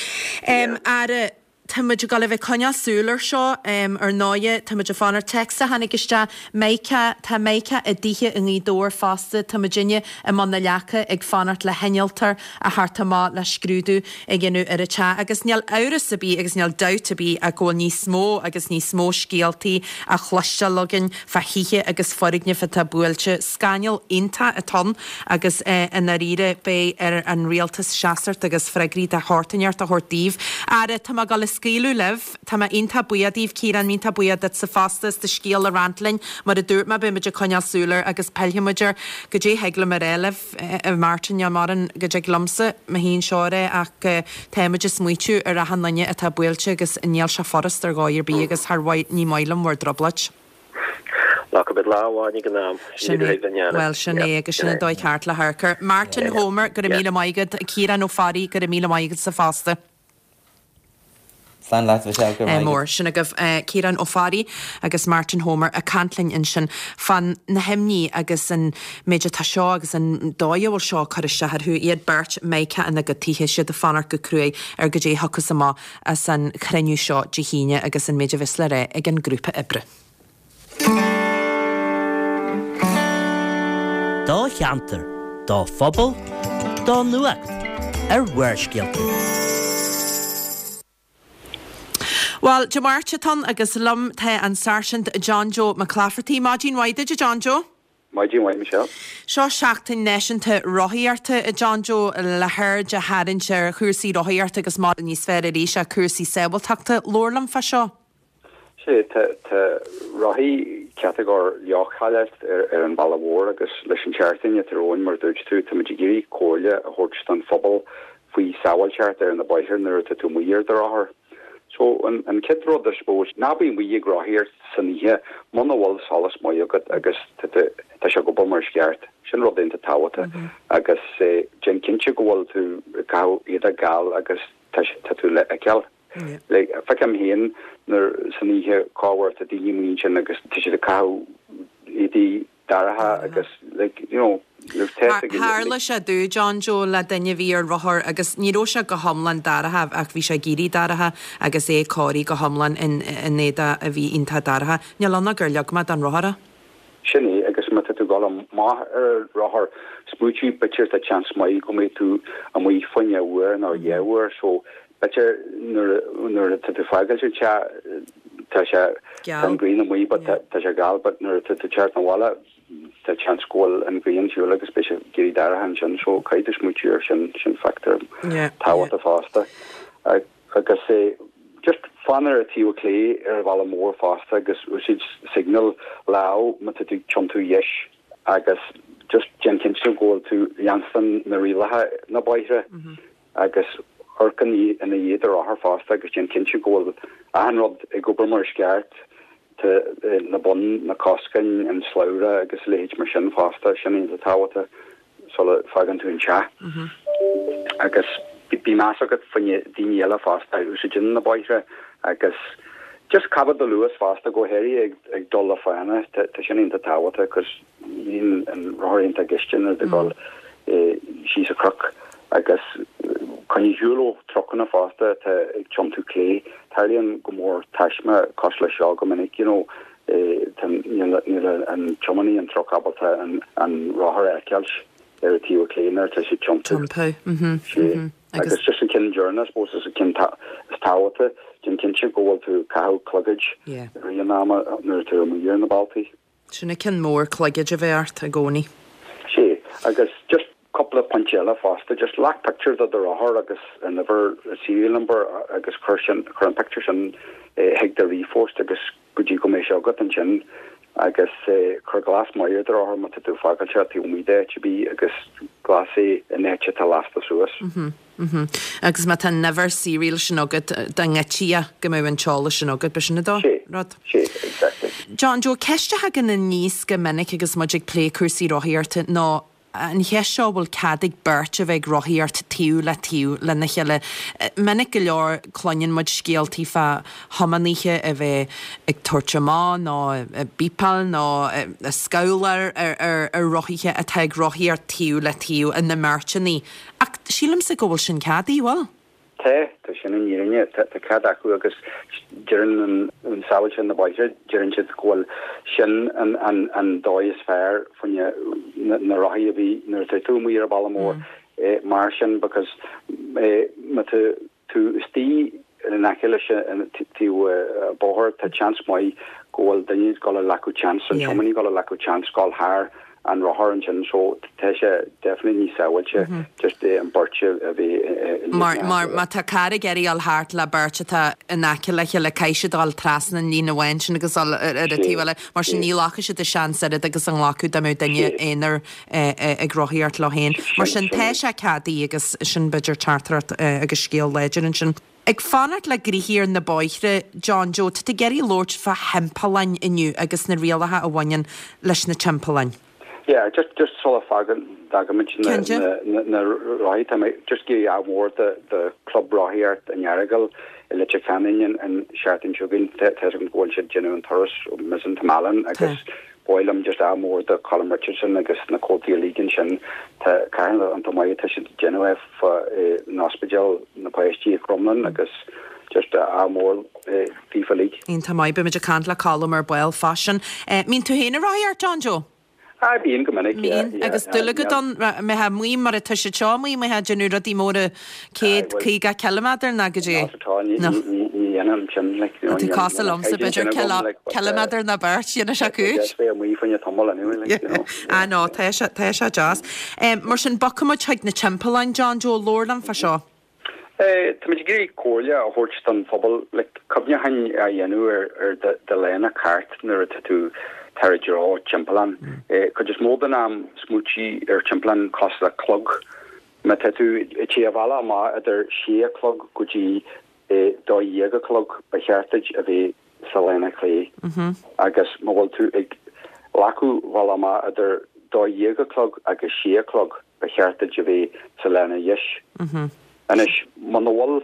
Um, Ara Tá muid ag dul a bheith coinneáil súil air seo um, ar ndóigh tá muid ag fanacht téacs a tháinig isteach Meice tá Meice i dtithe i nGaoth Dobhair fosta tá muidinne i mbun na leaca ag fanacht le hinnealtóir a theacht amach le scrúdú a dhéanamh ar an teach agus níl amhras ar bith agus níl dabht ar bith a go bhfuil níos mó agus níos mó scéaltaí á chloisteáil againn fá thithe agus foirgnimh atá buailte scannal iontach atá ann agus eh, i ndáiríre beidh ar an rialtas seasamh agus freagraí de shórt inteacht a thabhairt daoibh. Ara tá mé ag dul a scaoileadh libh Tá mé iontach buíoch díbh Ciarán iontach buíoch duit sa fostas do scéal a roinnt linn mar a dúirt mé beimid ag coinneáil súil air agus pillfimid air go dé thig liom ar eileh Martin maran go dtig liomsa mo haon seoir ach táimid ag smaoitiú ar achan duine atá buailte agus níl sé furast ar dhóigh ar bith agus thar ní maith liom bhur dtrioblóid. lá go bit lá amháin go am Sin é well sin é agus sin an dóigh ceart le harcar. Martin Homer go raibh míle maith agat Ciarán Ó Fearraigh go raibh míle maith agat sa fosta. Slán leat bhe go Eh, mór sin agaibh eh, Ciarán Ó Fearraigh agus Martin Homer ag caint linn ansin fán na himní agus an méid atá seo agus an dóigh a bhfuil seo cur isteach orthu iad beirt Meice ina gcuid tithe siad ag fanacht go cruaidh ar go dé thiocfas amach as an chruinniú seo Dé hAoine agus an méid a bheas le rá ag an grúpa oibre. Do cheantar, do phobal, do nuacht ar Bharrscéalta. Well, Dé Máirt atá ann agus liom tá an Sáirsint John Joe McClafferty Maidin mhaith John Joe. Maidin mhaith Michelle. Seo seachtain náisiúnta rothaíochta a John Joe le haird a tharraingt ar chúrsaí rothaíochta agus má níos fearr arís a cúrsaí sábháilteachta labhair liom fá seo. Sé tá rothaí catagóir leochaileach ar, ar an bhaile mhór agus leis an tseachtain atá romhainn mar dúirt tú tá muid ag iarraidh comhairle a thabhairt don phobal faoi sábháilteacht ar na bóithre nuair atá tú amuigh ar do rothar. So an, an chéad rud I suppose ná bí amuigh ag rothaíocht san oíche muna bhfuil solas maith agat agus tá sé go mar ceart sin rud iontach tábhachtach mm -hmm. agus eh, déan cinnte go bhfuil tú ga iad a gal agus tá tú le feiceáil. Yeah. Like feicim féin nuair san oíche cáhar a daoine sin agus tá siad ag caitheamh éadaí dorcha agus like you know Tharla sé do John Joe le duine bhí ar rothar agus ní raibh sé go hiomlán dorcha ach bhí sé ag éirí dorcha agus é cóirithe go hiomlán in in éadaí a bhí iontach dorcha. Níl ann gur leag mé don rothar. Sin é agus má tá tú ag dul amach ar rothar smaointigh b'fhéidir tá chance maith go mbeidh tú amuigh fá choinne uair nó dhá uair so b'fhéidir nuair tá tú fágáil te tá sé an ghrian amuigh but tá sé geal but nuair tá tú teacht abhaile tá seans go bhfuil an ghrian ar siúl agus beidh sé ag éirí dorcha ansin so caithfidh tú smaoitiú ar sin, sin factor tábhachtach fosta. Agus just fan ar an taobh clé ar an bhealach mór fosta agus úsáid signal lámh má tá tú ag tiontú dheis agus just déan cinnte go bhfuil tú leanstan na rialacha na bóithre agus amharc ina dhiaidh do rothar fosta agus déan cinnte go bhfuil achan rud ag obair mar is ceart, na boinn, na coscáin, an slabhra agus a leithéid mar sin fosta, sin iontach tábhachtach sula bhfágann tú an teach. Agus bí meas agat faoi daoine eile fosta a úsáideann na bóithre agus just coimeád do luas fosta, go háirithe ag dul le fána, tá sin iontach tábhachtach cos bíonn an rothar iontach gaiste nuair atá ag dul síos an cnoc agus coinnigh ar shiúl ó trucanna fosta atá ag tiontú clé. Tarlaíonn go mór taisme cosúil leis seo go minic, you know, tá níl an tiománaí an truc ábalta an rothar a fheiceáil ar an taobh clé nuair atá sé ag tiontú. Tiontú, mhm, mhm. Agus just an ceann deireanach, I suppose, is an ceann is tábhachtaí, déan cinnte go bhfuil tú ag caitheamh clogaid i rith an ama nuair atá tú amuigh ar na bealtaí. Sin an ceann mór, cloigead a bheith ort i gcónaí. Sea, agus just cúpla pointe eile fosta, just glac pictiúr de do rothar agus an uimhir, serial number, agus cuir sin, cuir an pictiúr sin chuig do ríomhphost agus go dtí go mbeidh sé agat ansin agus cuir glas maith ar do rothar má tá tú ag fágáil sé taobh amuigh d'áit ar bith agus glas é in áit atá lasta suas. Agus má tá an uimhir serial sin agat, dá ngoidtí é go mbeadh an t-eolas sin agat, b'shin an dá rud. Sea, exactly. John Joe, ceist a thagann aníos go minic agus muid ag plé cúrsaí rothaíochta ná an cheist seo bhfuil cead ag beirt a bheith ag rothaíocht taobh le taobh lena chéile. Minic go leor cluineann muid scéaltaí fá thiománaithe a bheith ag tabhairt amach nó ag bípeáil nó ag scabhláil ar ar rothaithe atá ag rothaíocht taobh le taobh ina mbeirteanna. Ach sílimse go bhfuil sin ceadaithe, bhfuil? Tá, tá sin an fhírinne, tá cead acu agus deireann an sábháilte na bóithre, deireann siad go bhfuil sin an dóigh is fearr fá choinne na rothaí a bhí nuair atá tú amuigh ar an bhealach mór mar sin because má tá tú istigh in aice leis an taobh bóthair tá seans maith go bhfuil duine ag dul a ghlacadh chance, an tiománaí ag dul a ghlacadh chance dul thar an rothar ansin so tá sé definitely níos sábháilte just an beirt a bhí Mar mar má tá carr ag iarraidh dul thart le beirt atá in aice le chéile caithfidh siad dul trasna an líne amháin sin agus dul ar an taobh eile mar sin ní ghlacfaidh siad an seans oiread agus a nglacfadh dá mbeadh duine aonair ag rothaíocht leo féin. Mar sin tá sé ceadaithe agus sin b'fhéidir teachtaireacht agus scéal láidir ansin. Ag fanacht le gnoithí ar na bóithre, John Joe, tá tú ag iarraidh labhairt fá thimpealláin inniu agus na rialacha a bhaineann leis na timpealláin. Yeah, just just sula fágann d'fhágaimid na na na rothaí tá mé just ag iarraidh ádh mór do do Club Rothaíocht an Earagail i Leitir Ceanainn an an seachtain seo chugainn. Tá tá go bhfuil siad déanamh an turas ó Mizen to Malin agus ba mhaith liom just ádh mór do Colin Richardson agus na comhaltaí uilig ansin. Tá carthann an maith atá siad déanamh é fá an ospidéal na páistí i Crumlin agus just ádh mór daofa uilig. Iontach maith, beimid ag caint le Colm ar ball fá sin. Mbíonn tú féin ag rothaíocht, John Joe? Ah, bíonn go minic, yeah, Bíonn, agus dúil agat ann, mbeifeá amuigh mar atá siad seo amuigh, mbeifeá ag déanamh rudaí móra céad caoga ciliméadar ná go dtí. Not at all, ní ní ní dhéanaim sin, like, you know, Tá tú cosúil liomsa, b'fhéidir ciliméadar ná beirt, dhéanfadh sé cúis. Just bheith amuigh fá choinne tamall anyway, like, you know. Ah no, tá sé tá sé deas. Mar sin, bogfaidh muid chuig na timpealláin, John Joe, labhair liom fá seo. Táimid ag iarraidh comhairle a thabhairt don phobal le cuimhneachán a dhéanamh ar ar do lána ceart nuair atá tú tar i dtreo timpeallán. Cuid is mó den am smaointigh ar timpeallán cosúil le clog. Má tá tú ag téamh an bhealach amach idir sé a chlog go dtí dó dhéag a chlog ba cheart duit a bheith sa lána clé agus má bhfuil tú ag glacadh bhealach amach idir dó dhéag a chlog agus sé a chlog ba cheart duit a bheith sa lána dheis. Anois, muna bhfuil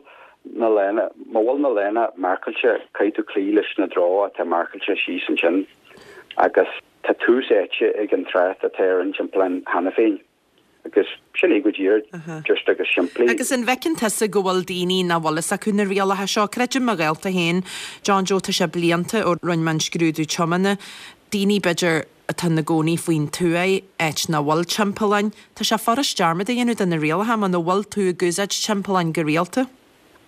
na lána, má bhfuil na lána marcáilte, caithfidh tú cloí leis na dtreo atá marcáilte síos ansin agus tá tús áite ag an trácht atá ar an timpeallán cheana féin. Agus sin é go díreach, just agus simplí. Agus an bhfeiceann tusa go bhfuil daoine nach bhfuil fhios acu na rialacha seo? Creidim mo ghaolta féin, John Joe, tá sé blianta ó rinne mé an scrúdú tiomána, daoine b'fhéidir atá ina gcónaí faoin tuath, áit nach bhfuil timpealláin, tá sé furast dearmad a dhéanamh de na rialacha muna bhfuil tú ag úsáid timpealláin go rialta.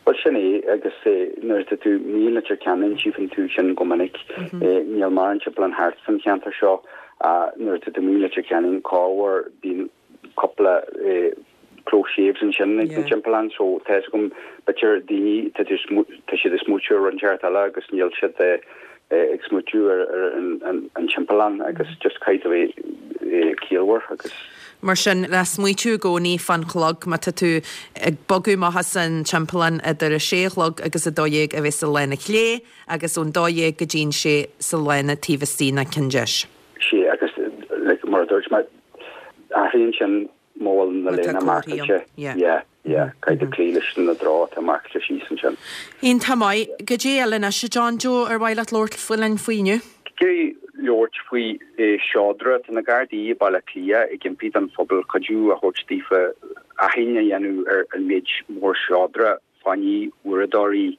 Bhuel, sin é, agus nuair atá tú amuigh i Leitir Ceanainn, tchífeann tú sin go minic. Níl mórán timpeallán thart san cheantar seo Nuair atá tú amuigh i Leitir Ceanainn corruair bíonn cúpla close shaves ansin ag na timpealláin so tá fhios agam b'fhéidir daoine tá tá siad ag smaoitiú ar rud inteacht eile agus níl siad ag smaoitiú ar an timpeallán agus just caithfidh tú a bheith ciallmhar agus. Mar sin, le smaoitiú i gcónaí fán chlog, má tá tú ag bogadh amach as an timpeallán idir a sé a chlog agus a dó dhéag a bheith sa lána chlé agus ón dó dhéag go dtí'n sé sa lána taobh istigh nó ceann deis. Sea, agus like, mar a dúirt mé, athraíonn sin má bhfuil na léana marcáilte. Yeah, yeah, caithfidh tú cloí leis na dtreo atá marcáilte síos ansin. Iontach maith. Goidé eile anois, a John Joe, ar mhaith leat labhairt linn faoi inniu? Ag labhairt faoi seodra, tá na Gardaí i Baile Átha Cliath ag impí don phobal cuidiú a thabhairt daofa aithint a dhéanamh ar an méid mór seodra, fáinní, uaireadóirí,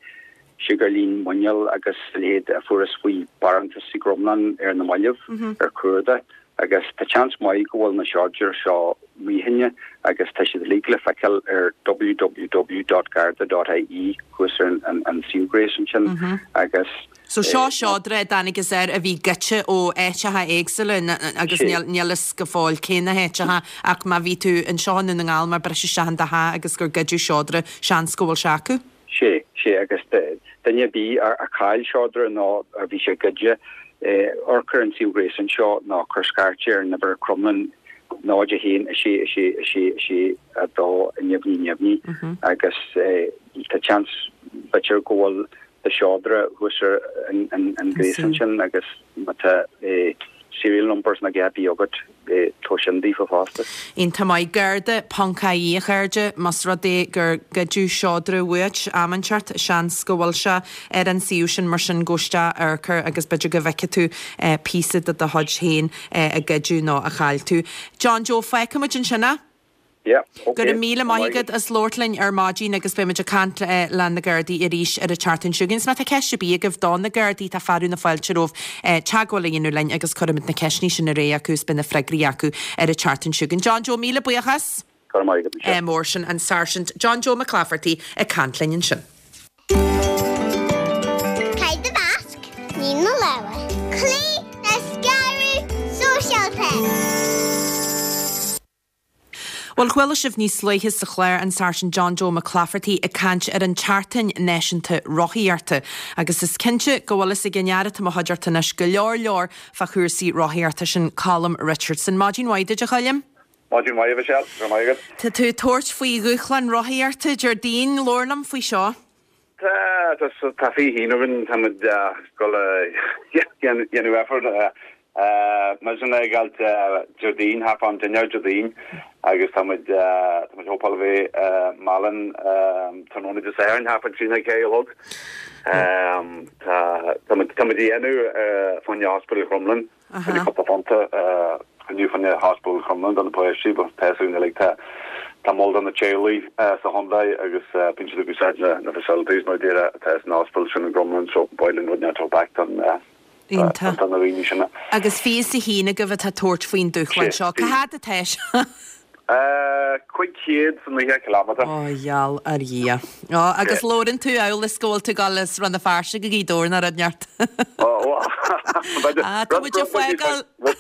siogairlín muineál agus a leithéid a fuarthas faoi bharántas i gCromghlinn ar na mallaibh ar cuardach agus tá seans maith go bhfuil na seodra seo mícheanna agus tá siad uilig le feiceáil ar www dot garda dot ie thuas ar an suíomh gréasáin sin agus So seo seodra a dtángthas air a bhí goidte ó áiteacha éagsúla agus níl fhios go fóill cé na háiteacha ach má bhí tú anseo i nDún na nGall mar briseadh isteach in do theach agus gur goideadh seodra, seans go bhfuil sé acu. Sé, sé agus duine ar bith a chaill seodra nó a bhí sé goidte, amharc ar an suíomh gréasáin seo nó cuir scairt ar an uimhir Cromghlinn náid a haon a sé a sé a sé a sé a dó neamhní neamhní agus tá seans b'fhéidir go bhfuil do sheodra thuas ar an ghréasán sin agus má tá serial numbers nó a dhath agat tabhair sin daofa fosta. Iontach maith. Garda ponc ie a chairde, más rud é gur goideadh seodra uait am inteacht, seans go bhfuil sé ar an suíomh sin mar sin gabh isteach amharc air agus b'fhéidir go bhfeicfidh tú píosa de do chuid féin a goideadh nó a chaill tú. John Joe, fágfaidh muid ansin é. Yeah, ok. Go raibh míle maith agat as labhairt linn ar maidin agus beidh muid ag caint le na Gardaí arís ar an tseachtain seo chugainn. Is má tá ceist ar bith agaibh do na Gardaí tá fearadh na fáilte romhaibh teagmháil a dhéanamh linn agus cuirfimid na ceisteanna sin ar aghaidh acu is beidh na freagraí acu ar an tseachtain seo chugainn. John Joe, míle buíochas. Go raibh maith agat, Michelle. Mór sin an Sáirsint John Joe Mac Laifeartaigh ag caint linn ansin. Caith do mhasc, nigh na lámha. Cloígh le scaradh sóisialta. Bhuel, chuala sibh níos luaithe sa chlár an Sáirsint John Joe Mac Laifeartaigh ag caint ar an tSeachtain Náisiúnta Rothaíochta agus is cinnte go bhfuil fhios ag an fhear atá i mo chuideachta anois go leor leor fá chúrsaí rothaíochta, sin Colm Richardson. Maidin mhaith duit, a Choilm. Maidin mhaith, a Mhichelle. Go raibh maith agat. Tá tú ag tabhairt faoi dhúshlán rothaíochta Déardaoin, labhair liom faoi seo. Tá, tá, tá fiche haon againn, táimid ag dul a dhéanamh effort. Muidne ag gabháil Déardaoin, thart fán dinnéar Déardaoin agus tá muid tá muid hopáil a bheith i Málainn tráthnóna Dé Sathairn thart fán trí nó ceathair a chlog. Tá tá muid tá muid a dhéanamh fá choinne Ospidéal Chromghlinn, fá choinne cúpla punt a chruinniú fá choinne Ospidéal Chromghlinn do na páistí, but tá fhios againn uilig tá tá mol do na teaghlaigh sa chontae agus bíonn siad ag úsáid na na facilities mar a déarfá atá san ospidéal sin i gCromghlinn so ba mhaith linn rud inteacht a thabhairt back don Iontach. do na daoine sin. Agus fiche is a haon agaibh atá ag tabhairt faoin dúshlán seo. Cá fhad atá sé? Cúig chéad is naocha cileámeadar. Ó, gheall ar Dhia. Ó, agus labhrann tú amhail is go bhfuil tú ag dul as Rann na Feirste go Gaoth Dobhair nó rud inteacht. Ó, ó, Ah, tá muid ag fágáil. Rud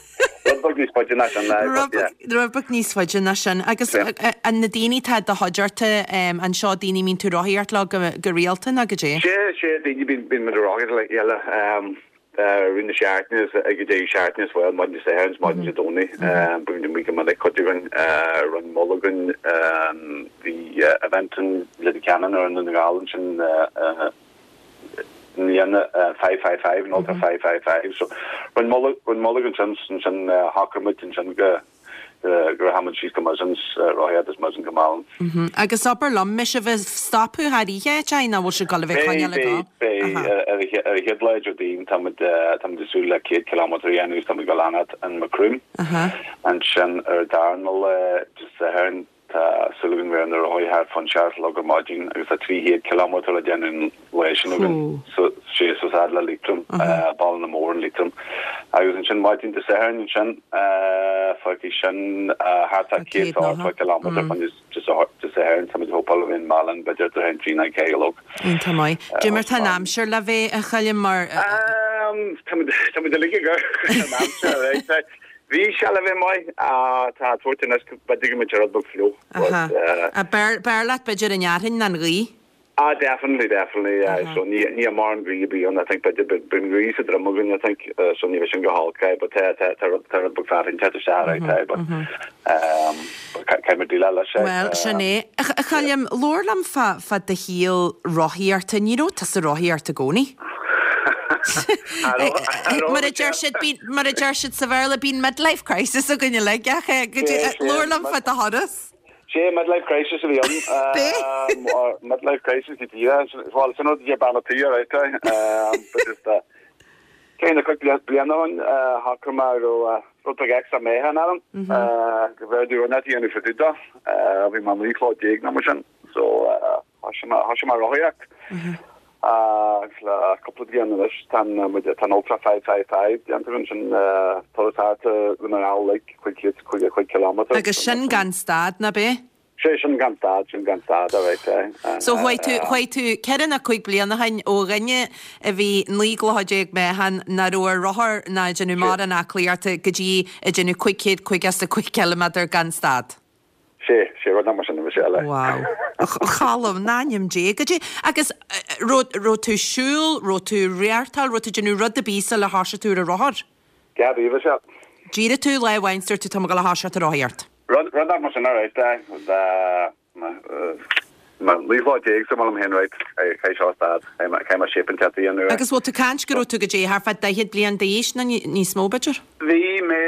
beag níos faide ná sin, but yeah. Rud beag níos faide ná sin. Agus an na daoine atá i do chuideachta anseo, daoine a mbíonn tú ag rothaíocht leo go rialta nó goidé? Sea, sea, daoine bíonn muid ag rothaíocht le chéile. Rith na seachtaine is ag an deireadh seachtaine as well, maidin Dé Sathairn is maidin Dé Domhnaigh. Bíonn muid go minic, cuid againn, rinne mol againn, bhí event in Leitir Ceanainn ar i nDún na nGall ansin i mbliana, five five five, an Ultra five five five. So rinne mol, rinne mol againn ansin, ansin shocraigh muid ansin go go rachaidh muid síos go Mizen, rothaíocht as Mizen go Málainn. Agus abair liom, mbeidh sibh ag stopadh thar oíche áit nó bhfuil sibh ag dul a bheith ag coinneáil ag dul? Beidh, beidh. Ar an chéad lá Déardaoin tá muid tá muid ag súil le céad cileámeadar a dhéanamh agus tá muid ag dul a fhanacht in Macroom. Ansin ar an darna lá Dé Sathairn tá súil againn bheith ar na rothaí thart fán seacht a chlog ar maidin agus tá trí chéad cileámeadar le déanamh an lá sin againn. So sé suas fhad le Liatroim, Baile na Mór in Liatroim. Agus ansin maidin Dé Sathairn ansin, fágfaidh sin thart fá céad is ochtó cileámeadar fá choinne Dé Sathairn, tá muid ag hopáil a bheith in Málainn b'fhéidir idir a haon trí nó ceathair a chlog. Iontach maith. Cad é mar tá an aimsir le bheith, a Choilm, mar. Tá muid uilig ag amharc ar an aimsir, right? Bhí sé le bheith maith, tá tabhairt anois b'fhéidir go mbeidh rud beag fliuch. B'fhearr leat b'fhéidir an fhearthainn ná an ghaoth? Ah, definitely, definitely, yeah. So ní ní mar an ghaoth a bhí ann, I think b'fhéidir bíonn gaoth sa droim againn, I think, so ní bheidh sin go holc, aye, but tá tá tá rud tá rud beag fearthainn te isteach, right, aye, but um caithfidh muid déileáil leis, aye. Bhuel, sin é. A Choilm, labhair liom fá fá do shaol rothaíochta. Ní raibh tusa ag rothaíocht i gcónaí. Mar a deir siad, mar a deir siad sa Bhéarla, bíonn midlife crisis againn uilig, ach labhair liom fá do thuras. Sé midlife crisis a bhí ann. Midlife crisis go díreach. Bhuel, sin rud a deir bean an tí, alright, but just ceithre nó cúig bliana ó shin, shocraigh mé go raibh rud beag extra meáchan orm, go bhféadfaí rud a dhéanamh fá dtaobh de. Bhí mé naoi chlog déag nó mar sin, so thosaigh mé thosaigh mé rothaíocht. Agus le cúpla bliain anois tá muid tá an Ultra five five five déanta againn, sin turas thart Dhún na nGall like cúig chéad caoga cúig kilometre. Agus sin gan stad, ná b'é? Sé sin gan stad, sin gan stad, alright, aye. So chuaigh tú, chuaigh tú ceithre nó cúig bliana ó shin ó dhuine a bhí naoi gclocha déag meáchan nach raibh ar rothar ná ag déanamh mórán aclaíochta go dtí ag déanamh cúig chéad caoga is a cúig ciliméadar gan stad. Sé, sé rud mar sin a bhí sé eile. Wow. A Choilm, in ainm Dé, goidé, agus raibh, raibh tú ag siúl, raibh tú ag reáchtáil, raibh tú ag déanamh rud ar bith sular thosaigh tú ar an rothar? Dhá bhí, bhí sé. D'éirigh tú lá amháin is dúirt tú tá mé ag dul a thoiseacht ag rothaíocht. Rud, rud mar sin, alright, aye. Naoi lá déag sa mbaile féin, right, caithfidh seo stad, caithfidh mé shape inteacht a dhéanamh. Agus bhfuil tú ag caint go raibh tú goidé thart fá daichead bliain d'aois nó níos mó, b'fhéidir? Bhí mé,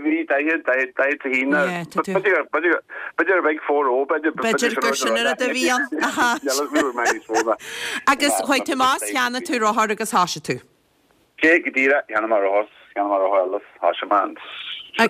bhí daichead, daichead, daichead a haon, Yeah, tá tú. b'fhéidir, b'fhéidir, b'fhéidir a bheidh four oh, b'fhéidir, B'fhéidir gur sin an rud a bhí ann, aha. mé níos mó ná. Agus chuaigh tú amach is cheannaigh tú rothar agus thoisigh tú? Sé go díreach, cheannaigh mé rothar, cheannaigh mé rothar eile, thoisigh mé an,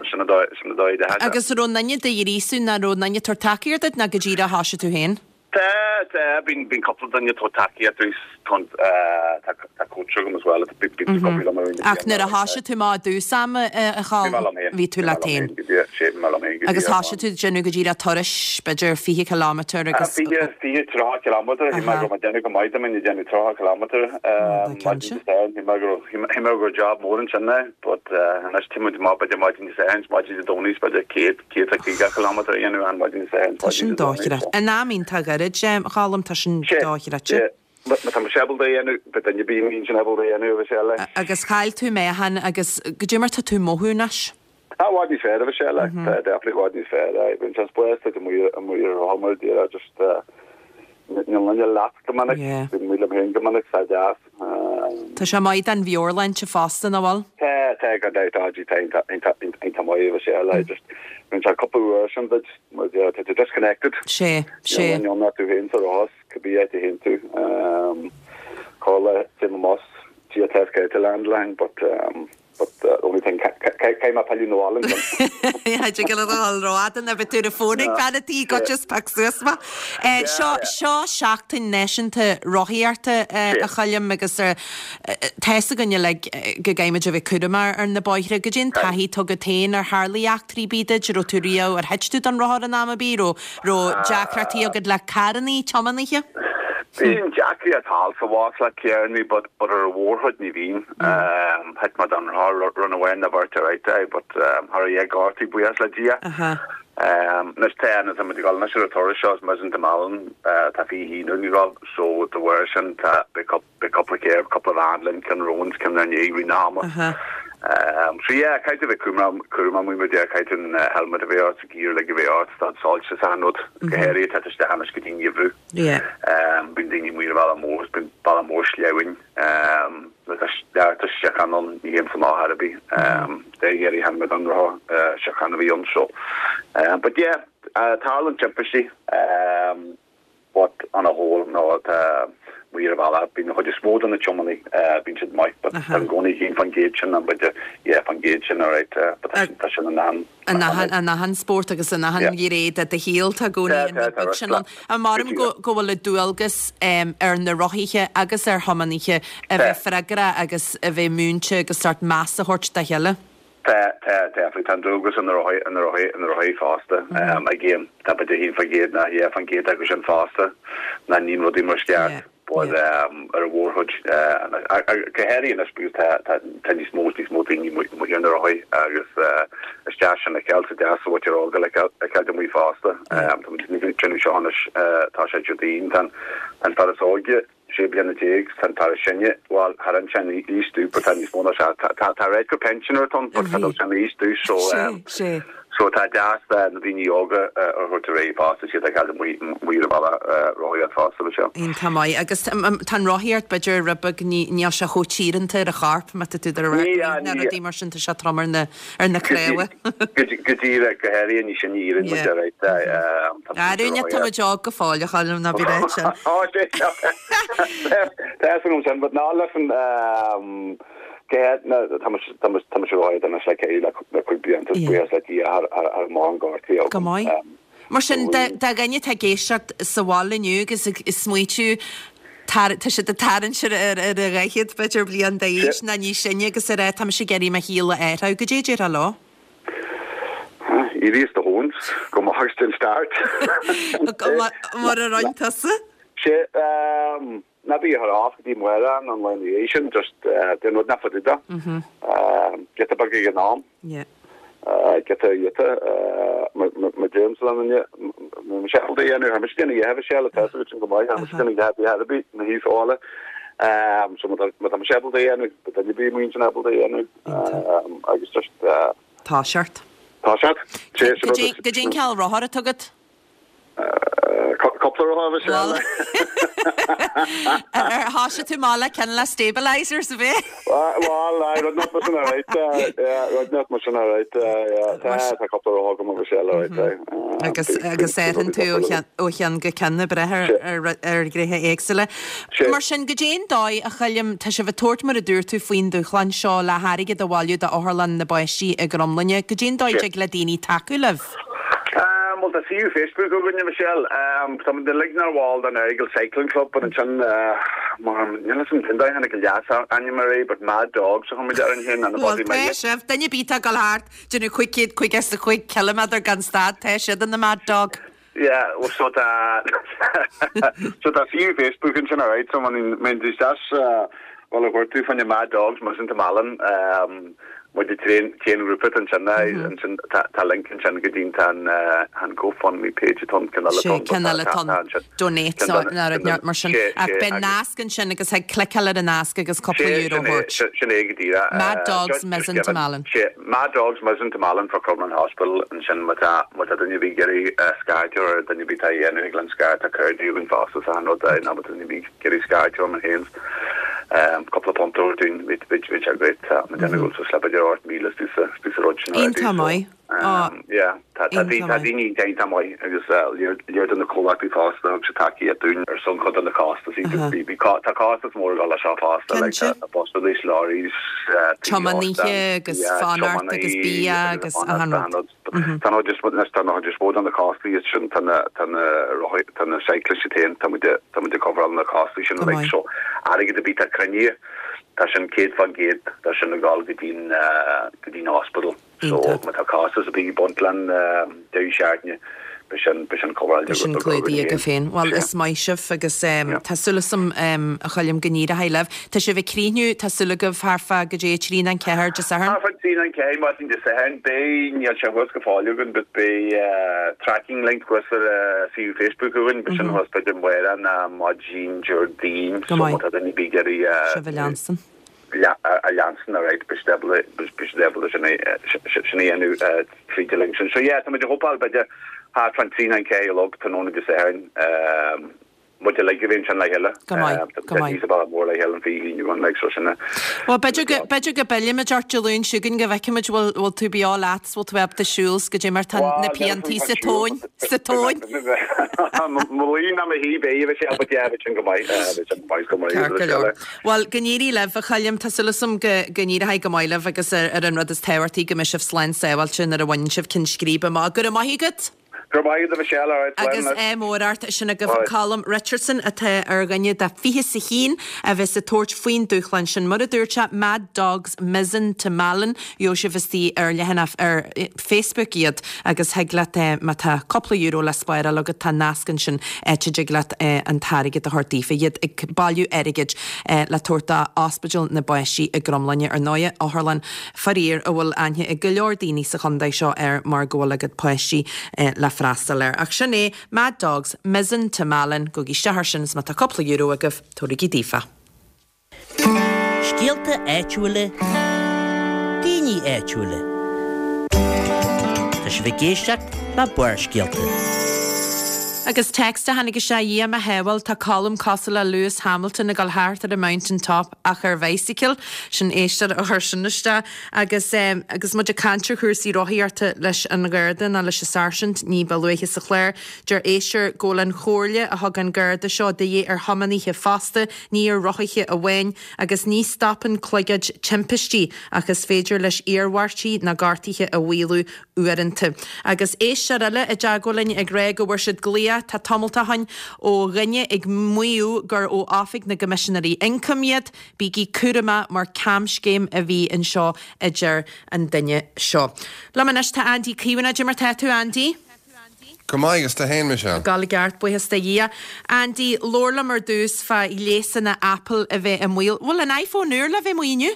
sin an dóigh, sin an dóigh de. Agus raibh aon duine do ghríosú nó raibh aon duine ag tabhairt tacaíocht duit nó go díreach thoisigh tú féin? Tá, tá, bíonn, bíonn cúpla duine ag tabhairt tacaíocht dom, tá, tá coach agam as well, bíonn bíonn cúpla liom ar Ach nuair a thoisigh tú amach i dtús ama, a Choilm, Bhí mé liom féin. bhí tú leat féin. Sé, bhí mé liom féin go Agus díreach. thoisigh tú ag déanamh go díreach turais, b'fhéidir fiche kilometre agus. Fiche, fiche, tríocha kilometre, shíl mé go raibh mé ag déanamh go maith dá mbeinn ag déanamh tríocha kilometre, maidin Dé Sathairn, shíl mé go raibh, shíl mé go raibh job mór ansin é, but anois tá muid amach b'fhéidir maidin Dé Sathairn, maidin Dé Domhnaigh, b'fhéidir céad, céad a caoga kilometre a dhéanamh an maidin Dé Sathairn, Tá sin maidin Dé Domhnaigh, dochreidte. In am iontach gairid, a Choilm, tá sin Sé, dochreidte. sé. Má tá mise ábalta é a dhéanamh, beidh duine ar bith amuigh ansin ábalta é a dhéanamh, a bheidh sé eile. Agus chaill tú meáchan agus goidé mar tá tú ag mothú anois? Tá i bhfad níos fearr, a bheidh sé eile. Tá definitely i bhfad níos fearr. Aye, bíonn sé spásta amuigh amuigh ar rothar mar a déarfá, just níl duine leat go minic, bím amuigh liom féin go minic, tá deas. Tá sé maith don mheabhairshláinte fosta, nach bhfuil? Tá, tá, gan dabht, tá, tá, iontach, iontach, iontach maith, a bheidh sé eile. Just bíonn sé cúpla uair sin duit, mar a déarfá, tá tú disconnected. Sé, sé. Níl duine ann ach tú féin sa rothar, cibé áit a théann tú. Corrlá, téim amach, Dia test go to landline, but um, but the only thing caithfidh mé pilleadh 'na bhaile ansin. Cha dtig leat a dhul rófhada nó beidh tú ar an bhfón ag bean an tí go just pick suas mé. Seo seo seachtain náisiúnta rothaíochta a Choilm agus tá fhios againn uilig go gcaithfimid a bheith cúramach ar na bóithre. Goidé an taithí atá agat féin ar tharla eachtraí ar bith duit, raibh tú riamh ar thit tú den rothar in am ar bith, raibh raibh deacrachtaí agat le carrannaí, tiománaithe? Bíonn deacrachtaí thall sa bhás le carrannaí but but ar an mhórchuid ní bhíonn. Thit mé den rothar run amháin nó beirt alright aye but cha raibh aon ghortaí buíochas le Dia. Anois tá anois tá muid ag dul anois ar an turas seo is Mizen to Malin tá fiche haon againn ag dul so de bharr sin tá beidh beidh cúpla carr cúpla veain linn ceann romhainn is ceann inár ndiaidh i rith na hama. So yeah caithfidh tú bheith cúramach cúramach amuigh mar a déarfá caithfidh tú an helmet a bheith ort gear uilig a bheith ort tá soilse is achan rud go háirithe tá tú isteach anois go dtí an gheimhreadh. Bíonn daoine amuigh ar an bhealach mór is bíonn bealach mór sleamhain nuair atá neart síocháin ann ní théimse amach ar bith. Dé dheiridh tháinig mé den rothar síocháin a bhí ann so but yeah tarlaíonn timpistí but on a whole no tá amuigh ar an bhealach bíonn an chuid is mó de na tiománaithe bíonn siad maith but tá i gcónaí haon faoin gcéad sin an b'fhéidir yeah faoin gcéad sin alright but tá sin tá sin in ann In achan in achan spórt agus in achan ghné de do shaol tá i gcónaí an rud beag sin ann. An maram go go bhfuil an dualgas ar na rothaithe agus ar thiománaithe a bheith freagrach agus a bheith múinte agus sórt meas a thabhairt dá chéile? Tá, tá, definitely. Tá an dualgas ar na rothaithe, ar na rothaithe, ar na rothaithe fosta. Again, tá b'fhéidir haon faoin gcéad nó dhá faoin gcéad acu sin fosta nach mbíonn rudaí mar is ceart. but ar an mhórchuid, go háirithe anois because tá tá tá níos mó níos mó daoine amuigh ar na rothaí agus is deas sin a fheiceáil is deas an mhuintir óg a fheiceáil amuigh fosta. Tá muid ag déanamh seo anois, tá sé Déardaoin, tá an fear is óige sé bliana déag, tá an fear is sine, bhuel thar an tsean aois dó but tá níos mó ná sea, tá tá reit gur pensioner atá ann but tá dul sean aois dó so Sé. So tá deas na daoine óga a thabhairt ar aghaidh fosta, siad ag cailleadh amuigh ar an bhealach rothaíocht fosta le seo. Iontach maith. Agus tá an rothaíocht b'fhéidir rud beag níl sé chomh tíoranta ar an chorp má tá tú ar na rudaí mar sin tá sé trom ar na ar na cnámha. Go díreach go háirithe ní sin iarrann muid ar Arúine tá muid óg go fóill a Choilm ná bí réit sin. Tá an sin, but ná leis an Céad na tá muid tá muid tá muid ag rothaíocht anois le céad le le cúig bliana is buíochas le Dia thar thar thar mórán gortaithe Go agam. maith. Mar sin dá dá dhuine atá ag éisteacht sa bhaile inniu agus ag smaoitiú tar tá siad ag tarraingt ar ar ar a dhaichead b'fhéidir bliain d'aois nó níos sine agus ag rá tá mise ag iarraidh mo shaol a athrú, goidé a déarfá leo? Éirigh as do thóin, gabh amach agus déan start. Mar a rinne tusa? Sé ná bí ag cur off go dtí amárach nó an lá ina dhiaidh sin, just déan rud nach fada. Giota beag ag an am. Giota giota mar deirimse le duine, má mise ábalta a dhéanamh, thar mise déanamh a dhéanamh sé le tá sin go maith, thar mise déanamh a dhéanamh ar bith na thíos ála. So má tá mise ábalta a dhéanamh, tá duine ar bith amuigh ansin ábalta a dhéanamh agus just. Toiseacht. Toiseacht. Goidé an cineál rothar atá agat? Cúpla rothar a Mhichelle. Ar thoisigh tú amach le ceann le stabilisers a bhí? Bhuel, aye, rud nach mar sin alright, yeah, rud nach mar sin alright, yeah, tá tá cúpla rothar agam a Mhichelle alright, aye. Agus agus athraíonn tú ó cheann ó cheann go ceann ag brath ar ar ar ghnéithe éagsúla. Mar sin, goidé an dóigh a Choilm, tá sibh ag tabhairt mar a dúirt tú faoin dúshlán seo le hairgead a bhailiú d'Otharlann na bPáistí i gCromghlinne, goidé an dóigh a dtig le daoine tacú libh? Bhuel tá suíomh Facebook againne Michelle. Tá muid uilig inár bhall den Errigal Cycling Club but ansin mar níl 'fhios a'm cén dóigh a tháinig an leas ainm ar é but Mad Dogs a chuir muid orainn féin and Bhuel tá sibh, duine ar bith atá ag dul thart déanamh cúig chéad caoga is a cúig ciliméadar gan stad, tá siad ina Mad Dog. Yeah, well so tá so tá suíomh Facebook ansin alright so má théann tú isteach bhuel a chuir tú fá choinne Mad Dogs Mizen to Malin muid an t-aon ghrúpa ansin ansin tá link ansin go dtí an an GoFundMe page atá ann ceann eile Sé ceann eile atá ann donate nó rud mar sin ach beidh nasc ansin agus thig cliceáil ar an nasc agus cúpla euro a thabhairt. Sin é go díreach. Mad Dogs Mizen to Malin. Sé Mad Dogs Mizen to Malin for Crumlin Hospital ansin má tá má tá duine ar bith ag iarraidh scairt ar duine ar bith atá á dhéanamh thig linn scairt tá cairde againn fosta sa rud é nó má tá duine ar bith ag iarraidh scairt orm féin. Cúpla punt a thabhairt dúinn, bhí bhí sé great, tá mé ag déanamh go bhfuil suas le b'fhéidir ocht míle istigh sa istigh sa rud sin already Iontach so maith. Á, yeah tá tá iontach tá maith. daoine iontach maith agus léir léir do na comhlachtaí fosta thug siad tacaíocht dúinn ar son cuid de na costasaí Aha. bhí bhí tá costas mór ag dul leis seo fosta like Cinnte. tá busanna lorries tí Tiománaithe óstán agus yeah fanacht agus tiománaí bia agus agus fanacht achan achan rud. rud. Tá nó just anois tá nó just mó de na costaí sin tá na tá na rothaí tá na cyclists féin tá muid tá muid ag coveráil na costaí sin Go like maith. so airgead ar bith atá cruinnithe tá sin céad faoin gcéad tá sin ag dul go dtí'n go dtí'n hospital so Iontach. má tá costas ar bith ag baint leis an deireadh seachtaine beidh sin beidh sin coveráilte Sin clúdaithe agaibh féin. Bhuel is maith sibh agus tá súil agam a Choilm go n-éireoidh libh. Tá sibh ag críochnú, tá súil agaibh thart fá goidé a trí nó a ceathair Dé Sathairn? Thart fá trí nó ceathair maidin Dé Sathairn. Beidh, níl sé thuas go fóill againn but beidh tracking link thuas ar suíomh Facebook againn, beidh sin thuas b'fhéidir amárach nó maidin Déardaoin Go so má maith. tá duine ar bith ag iarraidh Sibh a leanstan. a leanstan alright beidh siad ábalta beidh siad ábalta sin a sin a dhéanamh tríd an link sin. So yeah, tá muid ag hopáil b'fhéidir thart fán trí nó ceathair a chlog tráthnóna Dé Sathairn. Muid uilig a bheith ansin le chéile. Go maith, go maith. Tá sa bhaile mór le chéile an fiche haon againn like so sin a. Bhuel b'fhéidir go b'fhéidir go bpillfimid ort Dé Luain seo chugainn go bhfeicfimid bhfuil bhfuil tú beo leat 's bhfuil tú ábalta siúl 's goidé mar tá na piantaí sa tóin sa tóin. Mo luí ná mo shuí beidh bheidh sé but yeah bheidh sin go maith bheidh sin go maith go maith Ceart go leor. Bhuel go n-éirí libh a Choilm, tá súil agam go go n-éireoidh go maith libh agus ar ar an rud is tábhachtaí go mbeidh sibh slán sábháilte nuair a bhaineann sibh ceann scríbe amach. Go raibh maith agat! Go raibh maith agat a Mhichelle, alright, slán Agus anois. ádh mór ort, sin agaibh Alright. Colm Richardson atá ar dhuine de fiche is a haon a bheas ag tabhairt faoin dúshlán sin. Mar a dúirt sé, Mad Dogs Mizen to Malin, gheobhaidh sibh istigh ar leathanach ar Facebook iad agus thig leat má tá cúpla euro le spáráil agat tá nasc ansin áit a dtig leat an t-airgead a thabhairt daofa. Iad ag bailiú airgid le tabhairt do Ospidéal na bPáistí i gCromghlinne ar ndóigh, otharlann faraor a bhfuil aithne ag go leor daoine sa chontae seo air mar go bhfuil a gcuid páistí le freastal air. Ach sin é Mad Dogs Mizen to Malin, gabhaigí isteach air sin is má tá cúpla euro agaibh, tabharaigí daofa. Scéalta áitiúla, daoine áitiúla. Tá sibh ag éisteacht le Barrscéalta. Agus text a tháinig isteach Dhia mo shábháil tá Colm cosúil le Lewis Hamilton ag dul thart ar an mountain top ach ar bicycle sin éisteoir a chuir sin isteach agus um, agus muid ag caint ar chúrsaí rothaíochta leis an Gharda nó leis an sáirsint ní ba luaithe sa chlár deir éisteoir go bhfuil an chomhairle a thug an Garda seo de dhíth ar thiománaithe fosta ní ar rothaithe amháin agus ní stopann cloigead timpistí ach is féidir leis iarmhairtí na gortuithe a mhaolú uaireanta. Agus éisteoir eile i dteagmháil linn ag rá go bhfuair siad glaoch tá tamall ó shin ó dhuine ag maíomh gur ó Oifig na gCoimisinéirí Ioncaim iad, bígí cúramach mar camscéim a bhí anseo a deir an duine seo. Liom anois tá Andy Caomhánach mar tá tú Andy? Go maith agus tú féin Michelle. Gal gceart buíochas do Dhia. Andy labhair liom ar dtús fá ghléasanna Apple a bheith i mbaol. Bhfuil an iPhone úr le bheith amuigh inniu?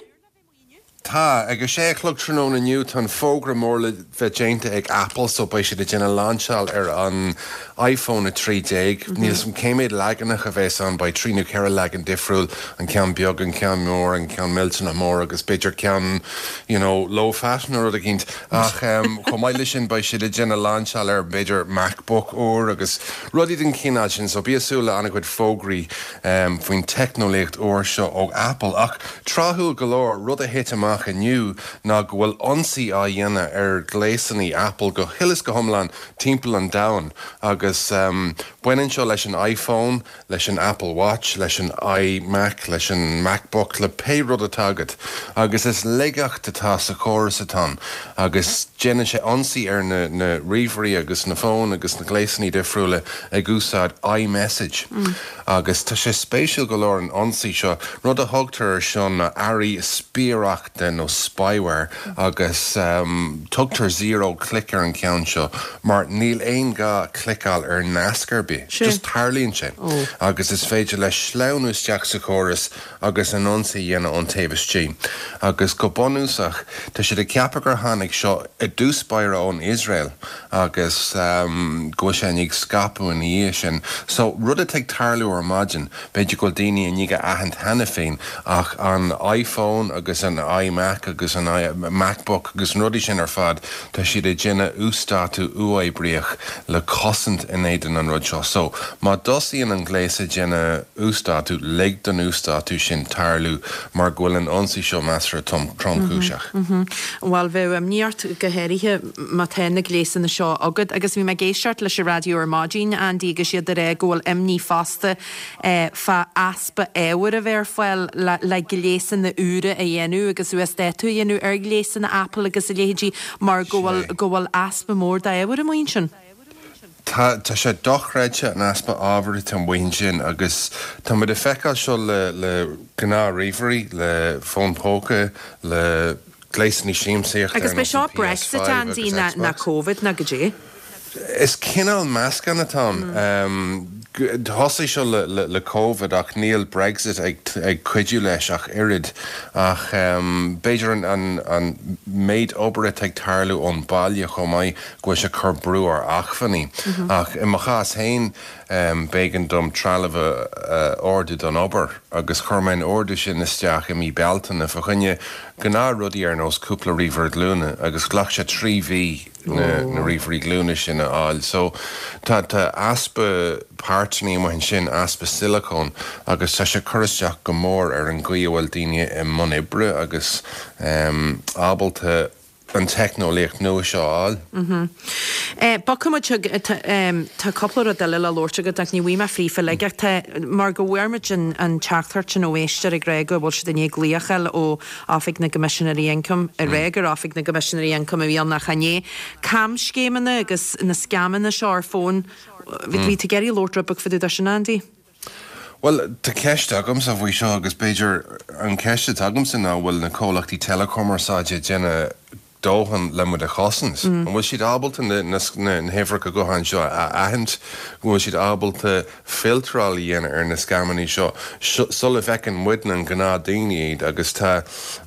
Tá ag a sé a chlog tráthnóna inniu tá an fógra mór le bheith déanta ag Apple so beidh siad ag déanamh lainseáil ar an iPhone a trí déag. Níl san cé mhéad leaganach a bheas ann beidh trí nó ceithre leagan difriúil an ceann beag an ceann mór an ceann millteanach mór agus b'fhéidir ceann you know, low fat nó rud éicint ach um, chomh maith leis sin beidh siad ag déanamh lainseáil ar b'fhéidir MacBook úr agus rudaí den chineál sin so bí ag súil le an-chuid fógraí um, faoin teicneolaíocht úr seo ó Apple ach tráthúil go leor rud a thit amach inniu ná go bhfuil ionsaí á dhéanamh ar ghléasanna Apple go huile is go hiomlán timpeall an domhain agus um, baineann seo leis an iPhone, leis an Apple Watch, leis an iMac, leis an MacBook le pé rud atá agat agus is laigeacht atá sa chóras atá agus déanann sé ionsaí ar na, na ríomhairí agus na fóin agus na gléasanna difriúla ag úsáid iMessage. Mm. Agus tá sé spéisiúil go leor an ionsaí seo rud a thugtar seo na earraí spiaireachta nó spyware agus um, tugtar zero click ar an ceann seo mar níl aon gá cliceáil ar nasc ar bith. Just tarlaíonn sé. Oh. agus is féidir le sleamhnú isteach sa chóras agus an ionsaí dhéanamh ón taobh istigh. Agus go bunúsach tá siad ag ceapadh gur tháinig seo i dtús báire ón Israel agus um, go bhfuil sé ag scaipeadh ina dhiaidh sin. So rud atá ag tarlú ar maidin, b'fhéidir go bhfuil daoine i ndiaidh a aithint cheana féin ach an iPhone agus an iMac agus an I MacBook agus an rudaí sin ar fad tá siad ag déanamh uasdátú uathoibríoch le cosaint in éadan an rud seo. So má thosaíonn an gléas ag déanamh uasdátú lig don uasdátú sin tarlú mar go bhfuil an ionsaí seo measartha tromchúiseach. Well bheadh imní ort go háirithe má tá na gléasanna seo agat agus bhí mé ag éisteacht leis an raidió ar maidin Andy agus iad ag rá go bhfuil imní fosta eh, fá easpa ábhair a bheith ar fáil le, le gléasanna úra a dhéanamh agus uasdátú a dhéanamh ar ghléasanna Apple agus a leithéidí mar go bhfuil go bhfuil easpa mór d'ábhair amuigh ansin. Tá tá sé dochreidte an easpa ábhair atá amuigh ansin agus tá muid ag feiceáil seo le le gnáth-ríomhairí le fón póca le gléasanna siamsaíochta Agus b'é seo Brexit Andy na, na Covid na go dé. Is cineál meascán atá um, Thosaigh seo le, le, le COVID ach níl Brexit ag, ag cuidiú leis ach oiread ach um, b'fhéidir an, an, an méid obair ag tarlú ón baile chomh maith go bhfuil sé cur brú ar acmhainní. Mm -hmm. Ach i mo chás féin um, b'éigean dom trealamh uh, ordú don obair agus chuir mé an ordú sin isteach i mí Bealtaine fá choinne gnáthrudaí ar nós cúpla ríomhaire glúine agus ghlac sé trí mhí na, na ríomhairí glúine sin a fháil. So tá tá easpa páirteanna amuigh ansin easpa silicón agus tá sé cur isteach go mór ar an gcaoi a bhfuil daoine i mbun oibre agus um, ábalta an teicneolaíocht nua seo a fháil. Bogfaidh muid chuig, tá cúpla rud eile le labhairt agat ach ní bhfaighidh mé fríofa uilig ach tá, mar go bhfuair muid an an teachtaireacht sin ó éisteoir ag rá go bhfuil siad i ndiaidh glaoch a fháil ó Oifig na gCoimisinéirí Ioncaim, ag rá gur Oifig na gCoimisinéirí Ioncaim a bhí ann ach chan é. Camscéimeanna agus na scamanna seo ar fón, bhí tú ag iarraidh labhairt rud beag fá dtaobh de sin, Andy? Bhuel, tá ceist agamsa faoi seo agus b'fhéidir an ceist atá agamsa ná an bhfuil na comhlachtaí teileachumarsáide ag déanamh dóthain le muid a chosaint? An bhfuil siad ábalta na huimhreacha gutháin seo a aithint? An bhfuil siad ábalta filtráil a dhéanamh ar na scamanna seo sula bhfeiceann muidne, an gnáthdaoine, iad? Agus tá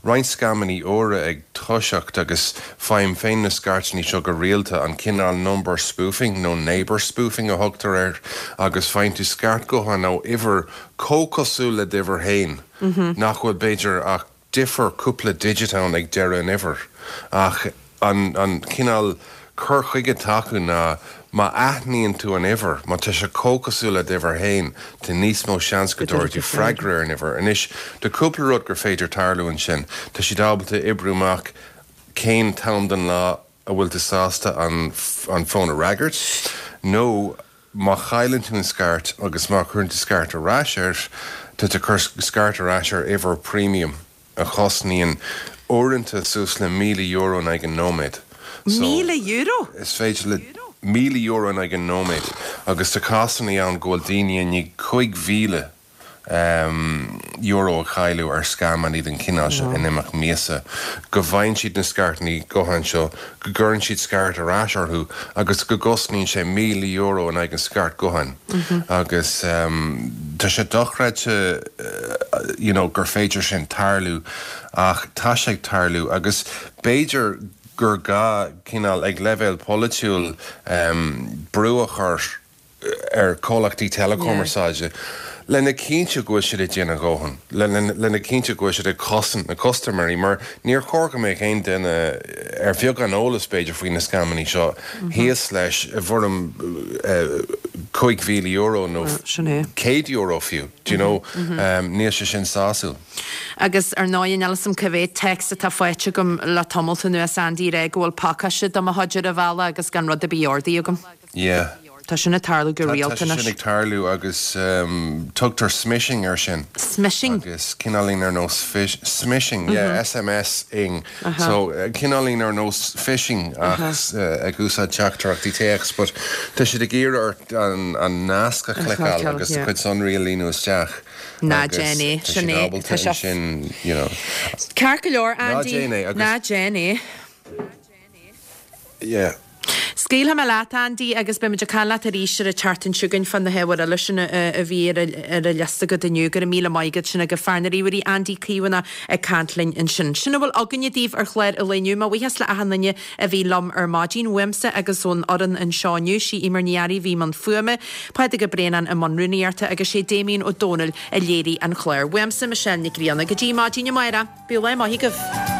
roinnt scamanna úra ag toiseacht agus faighim féin na scairteanna seo go rialta, an cineál number spoofing nó neighbour spoofing a thugtar air agus faigheann tú scairt gutháin ó uimhir chomh cosúil le d'uimhir féin nach bhfuil b'fhéidir ach difear cúpla digit ann ag deireadh an uimhir ach an an cineál cur chuige atá acu ná má aithníonn tú an uimhir, má tá sé chomh cosúil le d'uimhir féin, tá níos mó seans go dtabharfaidh tú freagra ar an uimhir. Anois, tá cúpla rud gur féidir tarlú ansin. Tá siad ábalta oibriú amach cén t-am den lá a bhfuil tú sásta an an fón a fhreagairt nó má chailleann tú an scairt agus má chuireann tú scairt ar ais air, tá tú ag cur scairt ar ais ar uimhir premium. a chosnaíonn uaireanta suas le míle euro in aghaidh an nóiméad. So, Míle euro? is féidir le míle euro in aghaidh an nóiméad agus tá cásanna ann go bhfuil daoine i ndiaidh cúig mhíle euro a chailleadh ar scamanna den chineál seo in imeacht míosa, go bhfaigheann siad na scairteanna gutháin seo, go gcuireann siad scairt ar ais orthu agus go gcosnaíonn sé míle euro in aghaidh an scairt gutháin. Agus tá sé dochreidte you know gur féidir sin tarlú ach tá sé ag tarlú agus b'fhéidir gur gá cineál ag leibhéal polaitiúil brú a chur ar chomhlachtaí teileachumarsáide lena chinntiú go bhfuil siad ag déanamh a ndóthain, lena chinntiú go bhfuil siad ag cosaint na custaiméirí mar níor chóir go mbeadh aon duine ar bheagán eolas b'fhéidir faoi na scamanna seo thíos leis i bhfoirm cúig mhíle euro nó céad euro fiú, do you know, níl sé sin sásúil. Agus ar ndóigh níl a fhios agam cá mhéad téacs atá faighte agam le tamalt anuas Andy ag rá go bhfuil pacáiste do mo chuid ar an bhealach agus gan rud ar bith ordaithe agam. Yeah. Tá sin ag tarlú go Tá rialta sé sin anois. ag tarlú agus tugtar smishing air sin. Smishing? Agus cineáilín ar nós fish, smishing, yeah, SMS ing. So cineáilín ar nós phishing ach ag úsáid teachtaireachtaí téacs but tá siad ag iarraidh ort an an nasc a chliceáil agus do chuid sonraí a líonadh isteach Ná agus déan é, tá sin siad é, ábalta tá sé ansin, you know. Ceart go leor, Ná Andy, déan é agus. ná déan é. Yeah. Scaoilfidh mé leat, Andy, agus beidh muid ag caint leat arís ar an tseachtain seo chugainn fá na hábhair eile sin a bhí ar an liosta agat inniu. Go raibh míle maith agat. Sin agaibh fear na ríomhairí, Andy Caomhánach ag caint linn ansin. Sin a bhfuil againne daoibh ar chlár an lae inniu. Mo bhuíochas le achan duine a bhí liom ar maidin, uaimse agus ón fhoireann anseo inniu. Sí Eimear Ní Fhearraigh a bhí i mbun fuaime, Pádraig Ó Braonáin i mbun rúnaíochta agus sé Damien Ó Dónaill a léirigh an clár. Uaimse, Michelle Nic Grianna. Go dtí maidin amárach, bíodh lá maith agaibh.